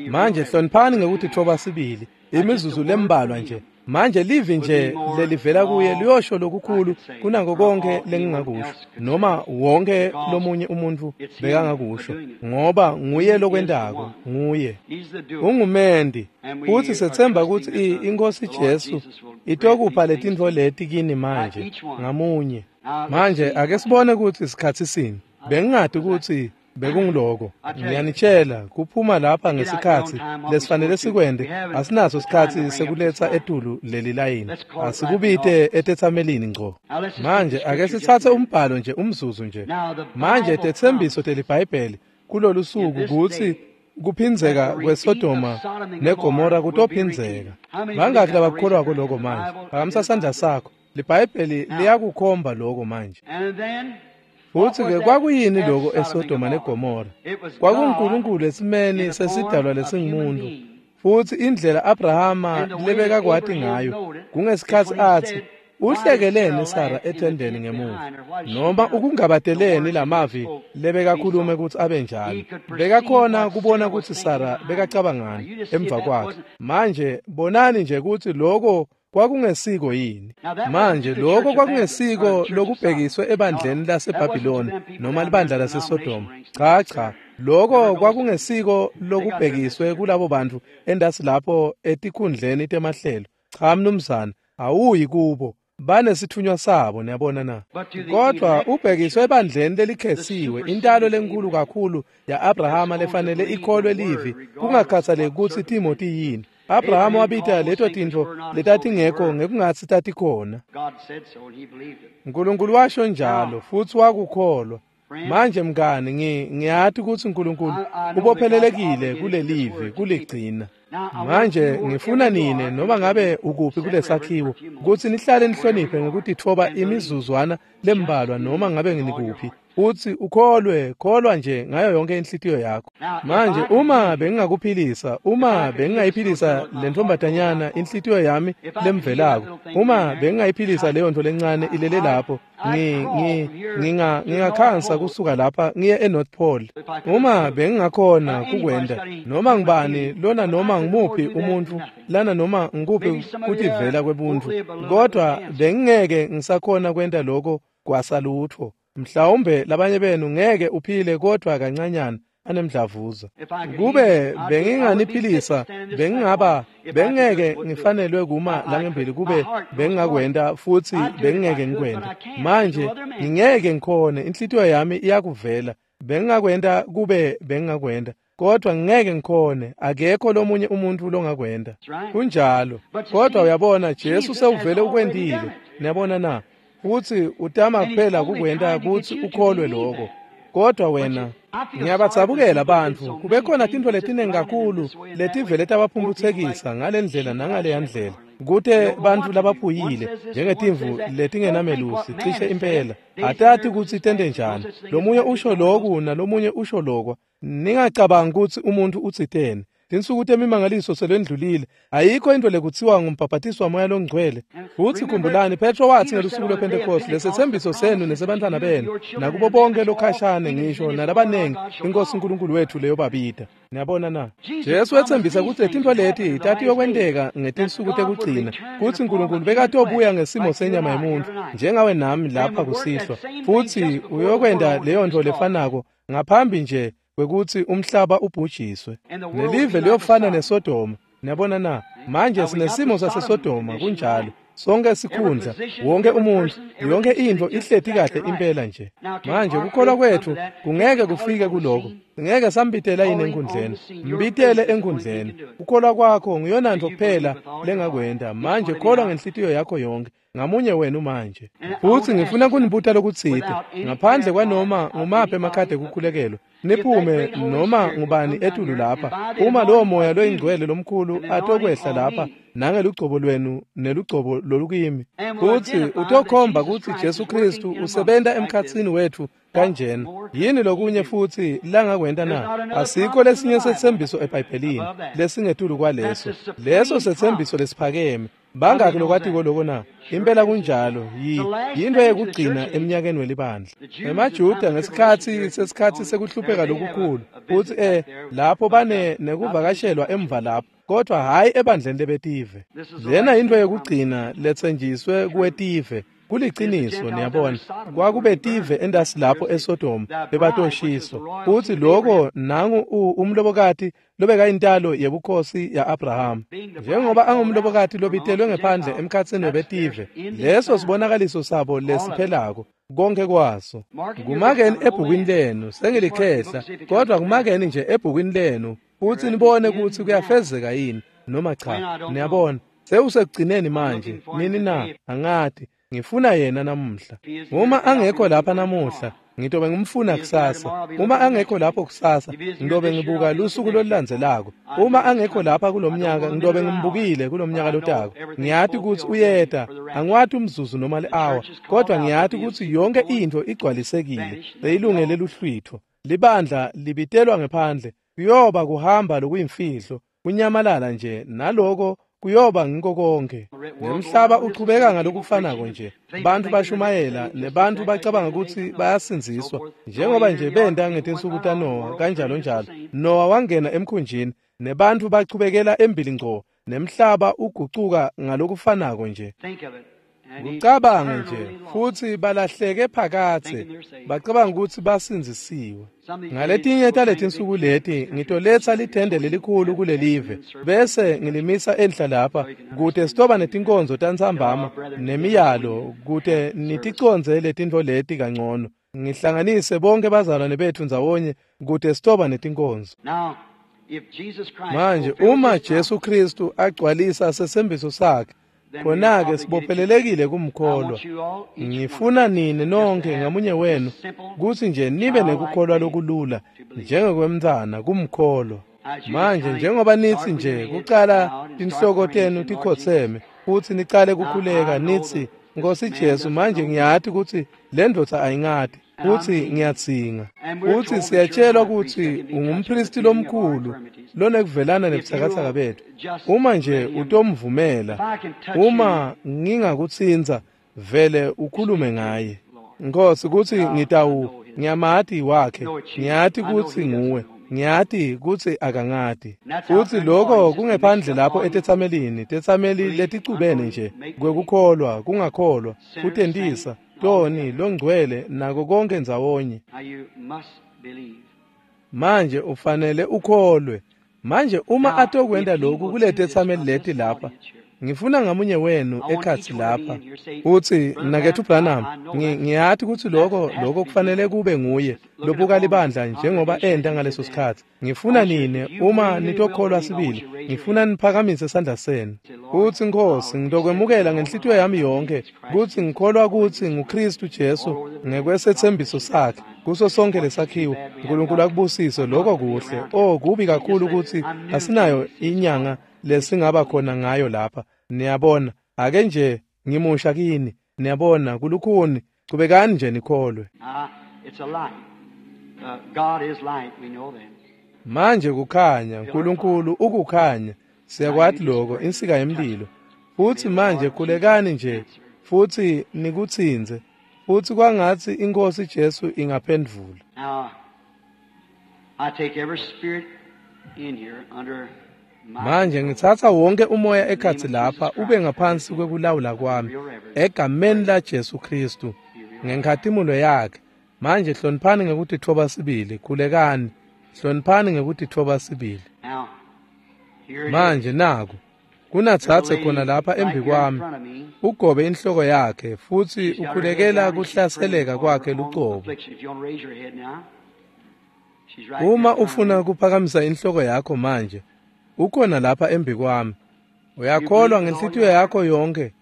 Manje hloniphani ngekutitfoba sibili imizuzu lembalwa nje. Manje livi nje lelivela kuye liyosho lokukhulu kunako konke lengingakusho noma wonke lomunye umuntu bekangakusho, ngoba nguye lokwentako, nguye ungumendi. Futhi sethemba kutsi inkosi Jesu itokupha letintfo leti kini manje ngamunye. Manje ake sibone kutsi isikhatsi sini. Bengingati kutsi bekungiloko. Ngiyanitshela kuphuma lapha ngesikhatsi lesifanele sikwente. Asinaso sikhatsi sekuletsa etulu leli layini. Asikubite etetsamelini ngco. Manje ake sitsatse umbhalo nje umzuzu nje. Manje tetsembiso teliBhayibheli kulolu suku kutsi kuphindzeka kweSodoma neGomora kutophindzeka. Bangaki labakholwako lokho manje? Phakamisa sandla sakho. LiBhayibheli liyakukhomba lokho manje. Futhi-ke kwakuyini lokho eSodoma neGomora? KwakunguNkulunkulu esimeni sesidalwa lesingumuntu. Futhi indlela Abrahama lebekakwati ngayo kungesikhatsi athi, "Uhlekeleni Sara ethendeni ngemuva?" noma ukungabateleni lamavi lebekakhulume kutsi abe njalo. Bekakhona kubona kutsi Sara bekacabangani emva kwakhe. Manje bonani nje kutsi lokho Kwakungesiko yini? Manje lokho kwakungesiko lokubhekiswe ebandleni laseBhabhiloni noma libandla laseSodoma. Cha cha, lokho kwakungesiko lokubhekiswe kulabo bantu endasi lapho etikhundleni temahlelo. Cha mnumzana, awuyi kubo. Banesithunywa sabo, niyabona na. Kodwa ubhekiswe ebandleni lelikhesiwe, intalo lenkulu kakhulu ya-Abrahama lefanele ikholwe livi, kungakhathaleki kutsi timo tiyini. Abrahama wabita leto tintfo letatingekho ngekungatsi tatikhona. Nkulunkulu washo njalo futsi wakukholwa. Manje mngani, ngi ngiyati kutsi Nkulunkulu ubophelelekile kulelivi kuligcina. Manje ngifuna nine noma ngabe ukuphi kulesakhiwo kutsi nihlale nihloniphe ngekutitfoba imizuzwana lembalwa noma ngabe nginikuphi. Uthi ukholwe, kholwa nje ngayo yonke inhlitiyo yakho. Manje uma bengingakuphilisa, uma bengingayiphilisa lentombatanyana inhlitiyo yami lemvelako, uma bengingayiphilisa leyo nto lencane ilele lapho, ngi ngi nginga ngingakhansa kusuka lapha ngiye eNorth Pole. Uma bengingakhona kukwenda, noma ngibani lona noma ngimuphi umuntu lana noma ngikuphi kutivela kwebuntu, kodwa bengingeke ngisakhona kwenta lokho kwasalutho. Mhlawumbe labanye benu ngeke uphile kodwa kancanyana anemdlavuza. Kube benginganiphilisa, bengingaba bengeke ngifanelwe kuma langembili kube bengingakwenda futhi bengingeke ngikwenda. Manje ngingeke ngikhone, inhlitiyo yami iyakuvela. Bengingakwenda kube bengingakwenda, kodwa ngingeke ngikhone, akekho lomunye umuntu longakwenda. Kunjalo. Kodwa uyabona, Jesu sewuvele ukwendile. Niyabona na? Uthi utama kuphela kukwenta kutsi ukholwe lokho. Kodwa wena, ngiyabatsabukela bantfu, kube khona tintfo letiningi kakhulu letivele tabaphumphutsekisa ngalendlela nangaleya ndlela. Kute bantfu labaphuyile njengetimvu letingenamelusi cishe impela atati kutsi tente njani. Lomunye usho loku nalomunye usho lokwa. Ningacabangi kutsi umuntu utsiteni. Tinsuku temimangaliso selwendlulile. Ayikho into lekutsiwa ngumbhabhatiso wamoya longcwele. Futsi khumbulani, Petro watsi ngelusuku lwePhentekoste, lesetsembiso senu nesebantfwana benu nakubo bonke lokhashane ngisho nalabanengi iNkosi uNkulunkulu wethu leyobabita. Niyabona na? Jesu wetsembisa kutsi letintfo leti tatiyokwenteka ngetinsuku tekugcina, kutsi Nkulunkulu bekatobuya ngesimo senyama yemuntfu njengawe nami lapha kusihlwa, futsi uyokwenta leyo nto lefanako ngaphambi nje kwekutsi umhlaba ubhujiswe. Nelive liyofana neSodoma. Niyabona na? Manje sinesimo saseSodoma, kunjalo. Sonke sikhundla, wonke umuntu, yonke intfo ihleti kahle impela nje. Manje kukholwa kwethu kungeke kufike kuloko. Ngeke sambitela yini enkundleni. Mbitele enkundleni. Kukholwa kwakho ngiyona nto kuphela lengakwenta. Manje kholwa ngenhlitiyo yakho yonke. Ngamunye wenu manje. Futsi ngifuna kunibuta lokutsite ngaphandle kwanoma ngumaphi emakhadi ekukhulekelwa. Niphume noma ngubani etulu lapha. Uma lowo moya loyingcwele lomkhulu atokwehla lapha nangelugcobo lwenu nelugcobo lolukimi, futsi utokhomba kutsi Jesu Kristu usebenta emkhatsini wetfu kanjena. Yini lokunye futsi langakwenta na? Asikho lesinye setsembiso eBhayibhelini lesingetulu kwaleso. Leso setsembiso lesiphakeme. Bangaki lokwatiko loko na? Impela kunjalo. Yinto yekugcina eminyakeni welibandla. EmaJuda ngesikhatsi sesikhatsi sekuhlupheka lokukhulu, futsi eh lapho bane nekuvakashelwa emva lapho, kodwa hhayi ebandleni lebetive. Lena yinto yekugcina letsenjiswe kuwetive. Kuliciniso, niyabona, kwakubetive endasi lapho eSodoma bebatoshiswa. Futsi lokho nangu umlobokati lobekayintalo yebukhosi ya-Abrahama. Njengoba angumlobokati lobitelwe ngephandle emkhatsini webetive, leso sibonakaliso sabo lesiphelako konke kwaso. Kumakeni ebhukwini lenu, sengilikhehla, kodwa kumakeni nje ebhukwini lenu futsi nibone kutsi kuyafezeka yini noma cha. Niyabona, sewusekugcineni manje. Nini na? Angati. Ngifuna yena namuhla. Uma angekho lapha namuhla, ngitobe ngimfuna kusasa. Uma angekho lapho kusasa, ngitobe ngibuka lusuku lolulandzelako. Uma angekho lapha kulomnyaka, ngitobe ngimbukile kulomnyaka lotako. Ngiyati kutsi uyeta, angiwati umzuzu noma li-hour, kodwa ngiyati kutsi yonke intfo igcwalisekile, seyilungele luhlwitho. Libandla libitelwa ngephandle, kuyoba kuhamba lokuyimfihlo, kunyamalala nje naloko kuyoba ngiko konke. Nemhlaba uchubeka ngalokufanako nje. Bantfu bashumayela nebantfu bacabanga kutsi bayasindziswa njengoba nje benta ngetinsuku taNowa kanjalo njalo. Nowa wangena emkhunjini nebantfu bachubekela embili ngco Nemhlaba ugucuka ngalokufanako nje. Kucabange nje futsi balahleke phakathe bacabanga ukuthi basindzisiwe. Ngaletinye taletinsuku leti ngitoletsa lithende lelikhulu kulelive bese ngilimisa enhla lapha kute sitoba netinkonzo tantsambama nemiyalo kute niticondze letintfo leti kangcono. Ngihlanganise bonke bazalwane bethu ndzawonye kute sitoba netinkonzo. Manje uma Jesu Kristu agcwalisa sesembiso sakhe, khona-ke sibophelelekile kumkholwa. Ngifuna nini nonke ngamunye wenu kutsi nje nibe nekukholwa lokulula njengekwemntfwana kumkholwa. Manje njengoba nitsi nje kucala tinhloko tenu tikhotseme futsi nicale kukhuleka nitsi, Nkosi Jesu, manje ngiyati kutsi le ndvodza ayingati futsi ngiyadzinga. Futsi siyatshelwa kutsi ungumpristi lomkhulu lonekuvelana nebutsakatsaka bethu. Uma nje utomvumela, uma ngingakutsintsa, vele ukhulume ngaye. Nkosi, kutsi ngitawu ngiyamati wakhe, ngiyati kutsi nguwe, ngiyati kutsi akangati. Futsi lokho kungephandle lapho etetsamelini, tetsameli leticubene nje kwekukholwa, kungakholwa, kutentisa, toni, longcwele nako konke ndzawonye. Manje ufanele ukholwe. Manje uma atokwenta lokhu kuletetsameli leti lapha, ngifuna ngamunye wenu ekhatsi lapha utsi, Mnaketfu Branham, ngiyati kutsi lokho lokho kufanele kube nguye lobuka libandla njengoba enta ngaleso sikhatsi. Ngifuna nine uma nitokholwa sibili, ngifuna niphakamise sandla senu. Utsi, Nkosi, ngitokwemukela ngenhlitiyo yami yonke kutsi ngikholwa kutsi nguKristu Jesu ngekwesethembiso sakhe kuso sonke lesakhiwo. uNkulunkulu akubusise lokho kuhle. Oh, kubi kakhulu kutsi asinayo inyanga lesingaba khona ngayo lapha. Niyabona, ake nje ngimusha kini. Niyabona, kulukhuni. Chubekani nje nikholwe. Manje kukhanya, uNkulunkulu ukukhanya. Siyakwati lokho, insika yemlilo. Futsi manje khulekani nje futsi nikutsintse. Futsi kwangatsi iNkosi Jesu ingaphendvula. I take every spirit in here under Manje ngitsatsa wonke umoya ekhatsi lapha ube ngaphansi kwekulawula kwami egameni la Jesu Kristu ngenkhatimulo yakhe. Manje hloniphani ngekutitfoba sibili, khulekani, hloniphani ngekutitfoba sibili. Manje naku kunatsatse khona lapha embi kwami, ugobe inhloko yakhe futsi ukhulekela kuhlaseleka kwakhe lucobo. Uma ufuna kuphakamisa inhloko yakho manje, ukhona lapha embi kwami. Uyakholwa ngenhlitiyo yakho yonke.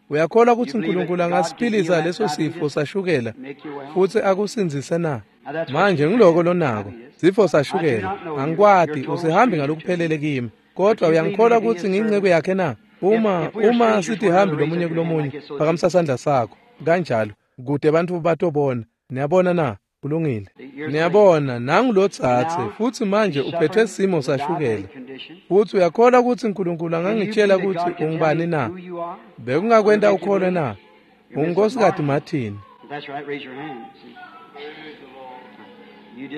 Uyakholwa kutsi uNkulunkulu angasiphilisa leso sifo sashukela futsi akusindzise na? Manje ngiloko lonako, sifo sashukela. Angikwati, usihambi ngalokuphelele kimi, kodwa uyangikholwa kutsi ngiyinceku yakhe na? Uma uma sitihambi lomunye kulomunye, phakamisa sandla sakho kanjalo kute bantfu batobona. Niyabona na? Kulungile. Niyabona, nangu lotsatse futsi manje uphethwe simo sashukela. Futsi uyakholwa kutsi uNkulunkulu angangitshela kutsi ungubani na? Bekungakwenta ukholwe na? Ungunkosikazi Martin.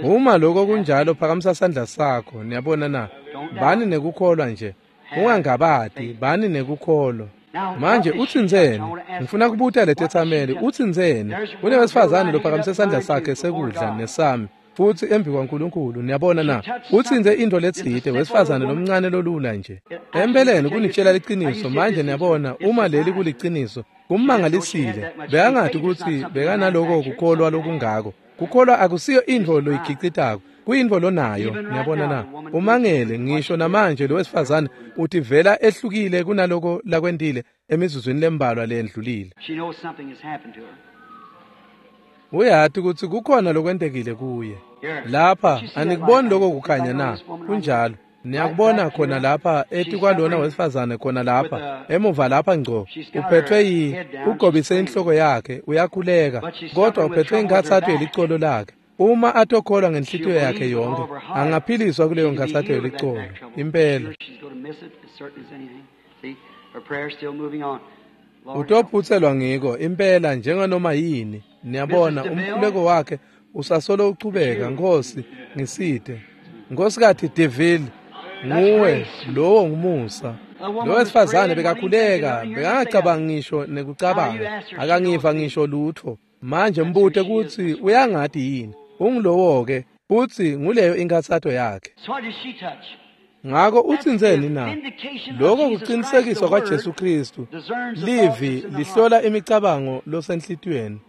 Uma lokho kunjalo, phakamisa sandla sakho. Niyabona na? Bani nekukholwa nje. Ungangabati, bani nekukholwa. Manje utsintseni? Ngifuna kubuta letetsameli, utsintseni? Kunewesifazane lophakamise sandla sakhe sekudla nesami futsi embi kwaNkulunkulu. Niyabona na? Utsintse intfo letsite, wesifazane lomncane lolula nje. Empeleni kunitshela liciniso. Manje niyabona, uma leli kuliciniso, kummangalisile. Bekangati kutsi bekanaloko kukholwa lokungako. Kukholwa akusiyo intfo loyigicitako, kuyintfo lonayo. Niyabona na? Umangele ngisho namanje lo wesifazane utivela ehlukile kunaloko lakwentile emizuzwini lembalwa leyendlulile. Uyati kutsi kukhona lokwentekile kuye. Lapha anikuboni lokho kukhanya na? Kunjalo. Niyakubona khona lapha etikwalona wesifazane khona lapha emuva lapha ngco, uphethwe yi ugobise inhloko yakhe, uyakhuleka, kodwa uphethwe inkhatsato yelicolo lakhe. Uma atokholwa ngenhlitiyo yakhe yonke, angaphiliswa kuleyo nkhatsato yelicolo. Impela. Utophutselwa ngiko impela njenganoma yini. Niyabona, umkhuleko wakhe usasolo uchubeka. Nkosi, ngisite. Nkosikati Deville, Nguwe lowo ngumusa. Lo wesifazane bekakhuleka, bekangacabangi ngisho nekucabanga, akangiva ngisho lutho. Manje mbute kutsi uyangati yini. Ungulowo-ke, futsi nguleyo inkathato yakhe. Ngako utsintseni na? Lokho kuqinisekiswa kwaJesu Kristu. Livi lihlola imicabango losenhlitiyweni.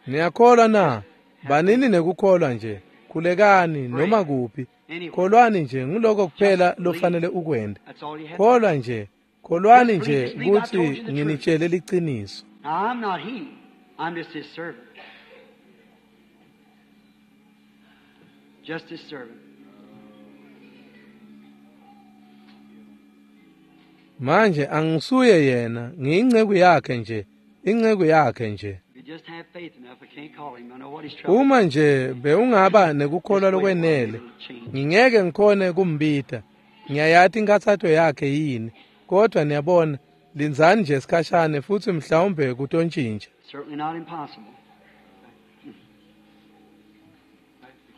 Niyakholwa na? Banini nekukholwa nje. Khulekani noma kuphi. Kholwani nje, nguloko kuphela lofanele ukwente. Kholwa nje, kholwani nje kutsi nginitshele liciniso. Now, I'm not he. I'm just his servant. Just his servant. Manje angisuye yena, ngiyinceku yakhe nje, inceku yakhe nje. If you just have faith enough, I can't call him. I know what he's troubled. Uma nje bewungaba nekukholwa lokwenele, ngingeke ngikhone kumbita. Ngiyayati inkathato yakhe yini, kodwa niyabona, lindzani nje sikhashane futsi mhlawumbe kutontjintja. Certainly not impossible.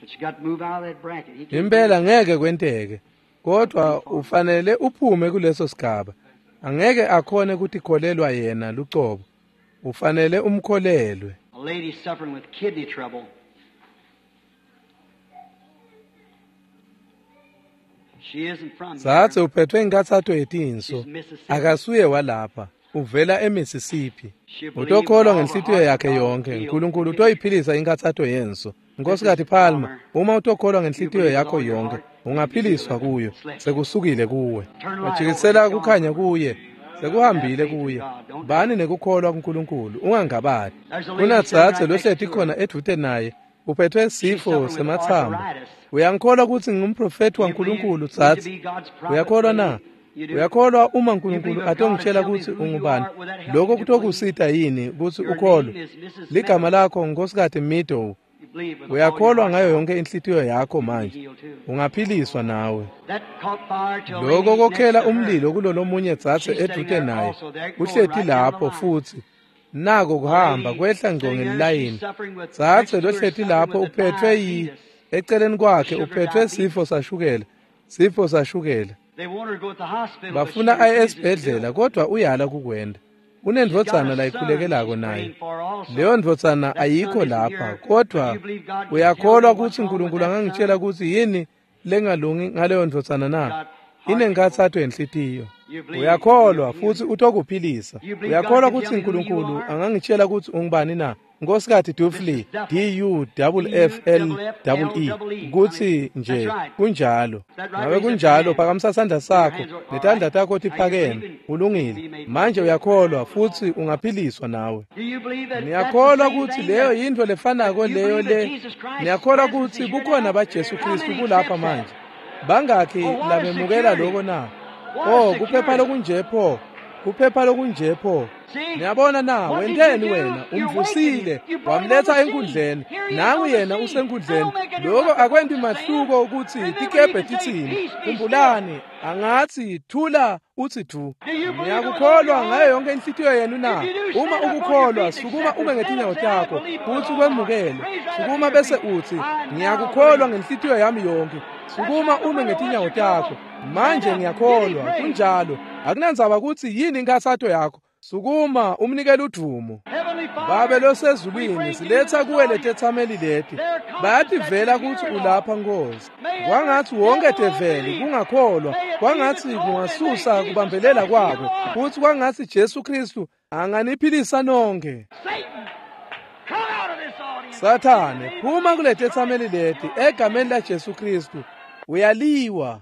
But you got to move out of that bracket. He can't Impela ngeke kwenteke, kodwa ufanele uphume kuleso sigaba. Angeke akhone kutikholelwa yena lucobo. Ufanele umkholelwe. A lady suffering with kidney trouble. She isn't from Dzadze here. uphethwe inkathato yetinso. She's Mississippi. Akasuye walapha, uvela eMississippi. Utokholwa ngenhlitiyo yakhe yonke. uNkulunkulu utoyiphilisa inkathato yenso. Nkosikazi Palmer, uma utokholwa ngenhlitiyo yakho yonke, ungaphiliswa kuyo. Sekusukile kuwe. Wajikisela kukhanya kuye. Sekuhambile kuye. Bani nekukholwa kuNkulunkulu, ungangabadi. Kunadzadze lohleti khona edvute naye, uphethwe sifo sematsambo. Uyangikholwa kutsi ngingumprofethi waNkulunkulu, dzadze? Uyakholwa na? Uyakholwa uma uNkulunkulu atongitshela kutsi ungubani? Lokho kutokusita yini kutsi ukholwe? Ligama lakho Nkosikazi Meadow. Uyakholwa ngayo yonke inhlitiyo yakho manje. Ungaphiliswa nawe. Lokho kokhela umlilo kulolomunye dzadze edvute naye. Uhleti lapho futsi. Nako kuhamba kwehla ngco ngelilayini. Dzadze lohleti lapho uphethwe yi eceleni kwakhe uphethwe sifo sashukela. Sifo sashukela. Bafuna aye esibhedlela kodwa uyala kukwenda. Unendvodzana layikhulekelako naye. Leyo ndvodzana ayikho lapha, kodwa uyakholwa kutsi uNkulunkulu angangitshela kutsi yini lengalungi ngaleyo ndvodzana na? Inenkathato yenhlitiyo. Uyakholwa futsi utokuphilisa. Uyakholwa kutsi uNkulunkulu angangitshela kutsi ungubani na? Nkosikazi Dufley, D U F F L E E, kutsi nje kunjalo. Ngabe kunjalo, phakamisa sandla sakho, netandla takho tiphakeme. Ulungile. Manje uyakholwa futsi ungaphiliswa nawe. Niyakholwa kutsi leyo yintfo lefanako leyo le. Niyakholwa kutsi bukhona baJesu Kristu kulapha manje. Bangakhi labemukela lokho na? Oh, kuphepha lokunje pho. Kuphepha lokunje pho. Niyabona na, wenteni wena? Umvusile, wamletha enkundleni. Nangu yena usenkundleni. Lokho akwenti mahluko ukuthi tikebhe titsini. Khumbulani, angathi thula uthi thu. Niyakukholwa ngayo yonke inhlitiyo yenu na? Uma ukukholwa, sukuma ume ngetinyawo takho, futhi ukwemukele. Sukuma bese uthi, ngiyakukholwa ngenhlitiyo yami yonke. Sukuma ume ngetinyawo takho. Manje ngiyakholwa, kunjalo. Akunandzaba kutsi yini inkathato yakho. Sukuma umnikele udumo. Babe losezulwini, siletha kuwe letethameli leti. Bayativela kutsi ulapha Nkosi. Kwangatsi wonke develi kungakholwa, kwangatsi kungasusa kubambelela kwabo, futsi kwangatsi Jesu Kristu anganiphilisa nonke. Sathane, phuma kuletethameli leti egameni laJesu Kristu. Uyaliwa.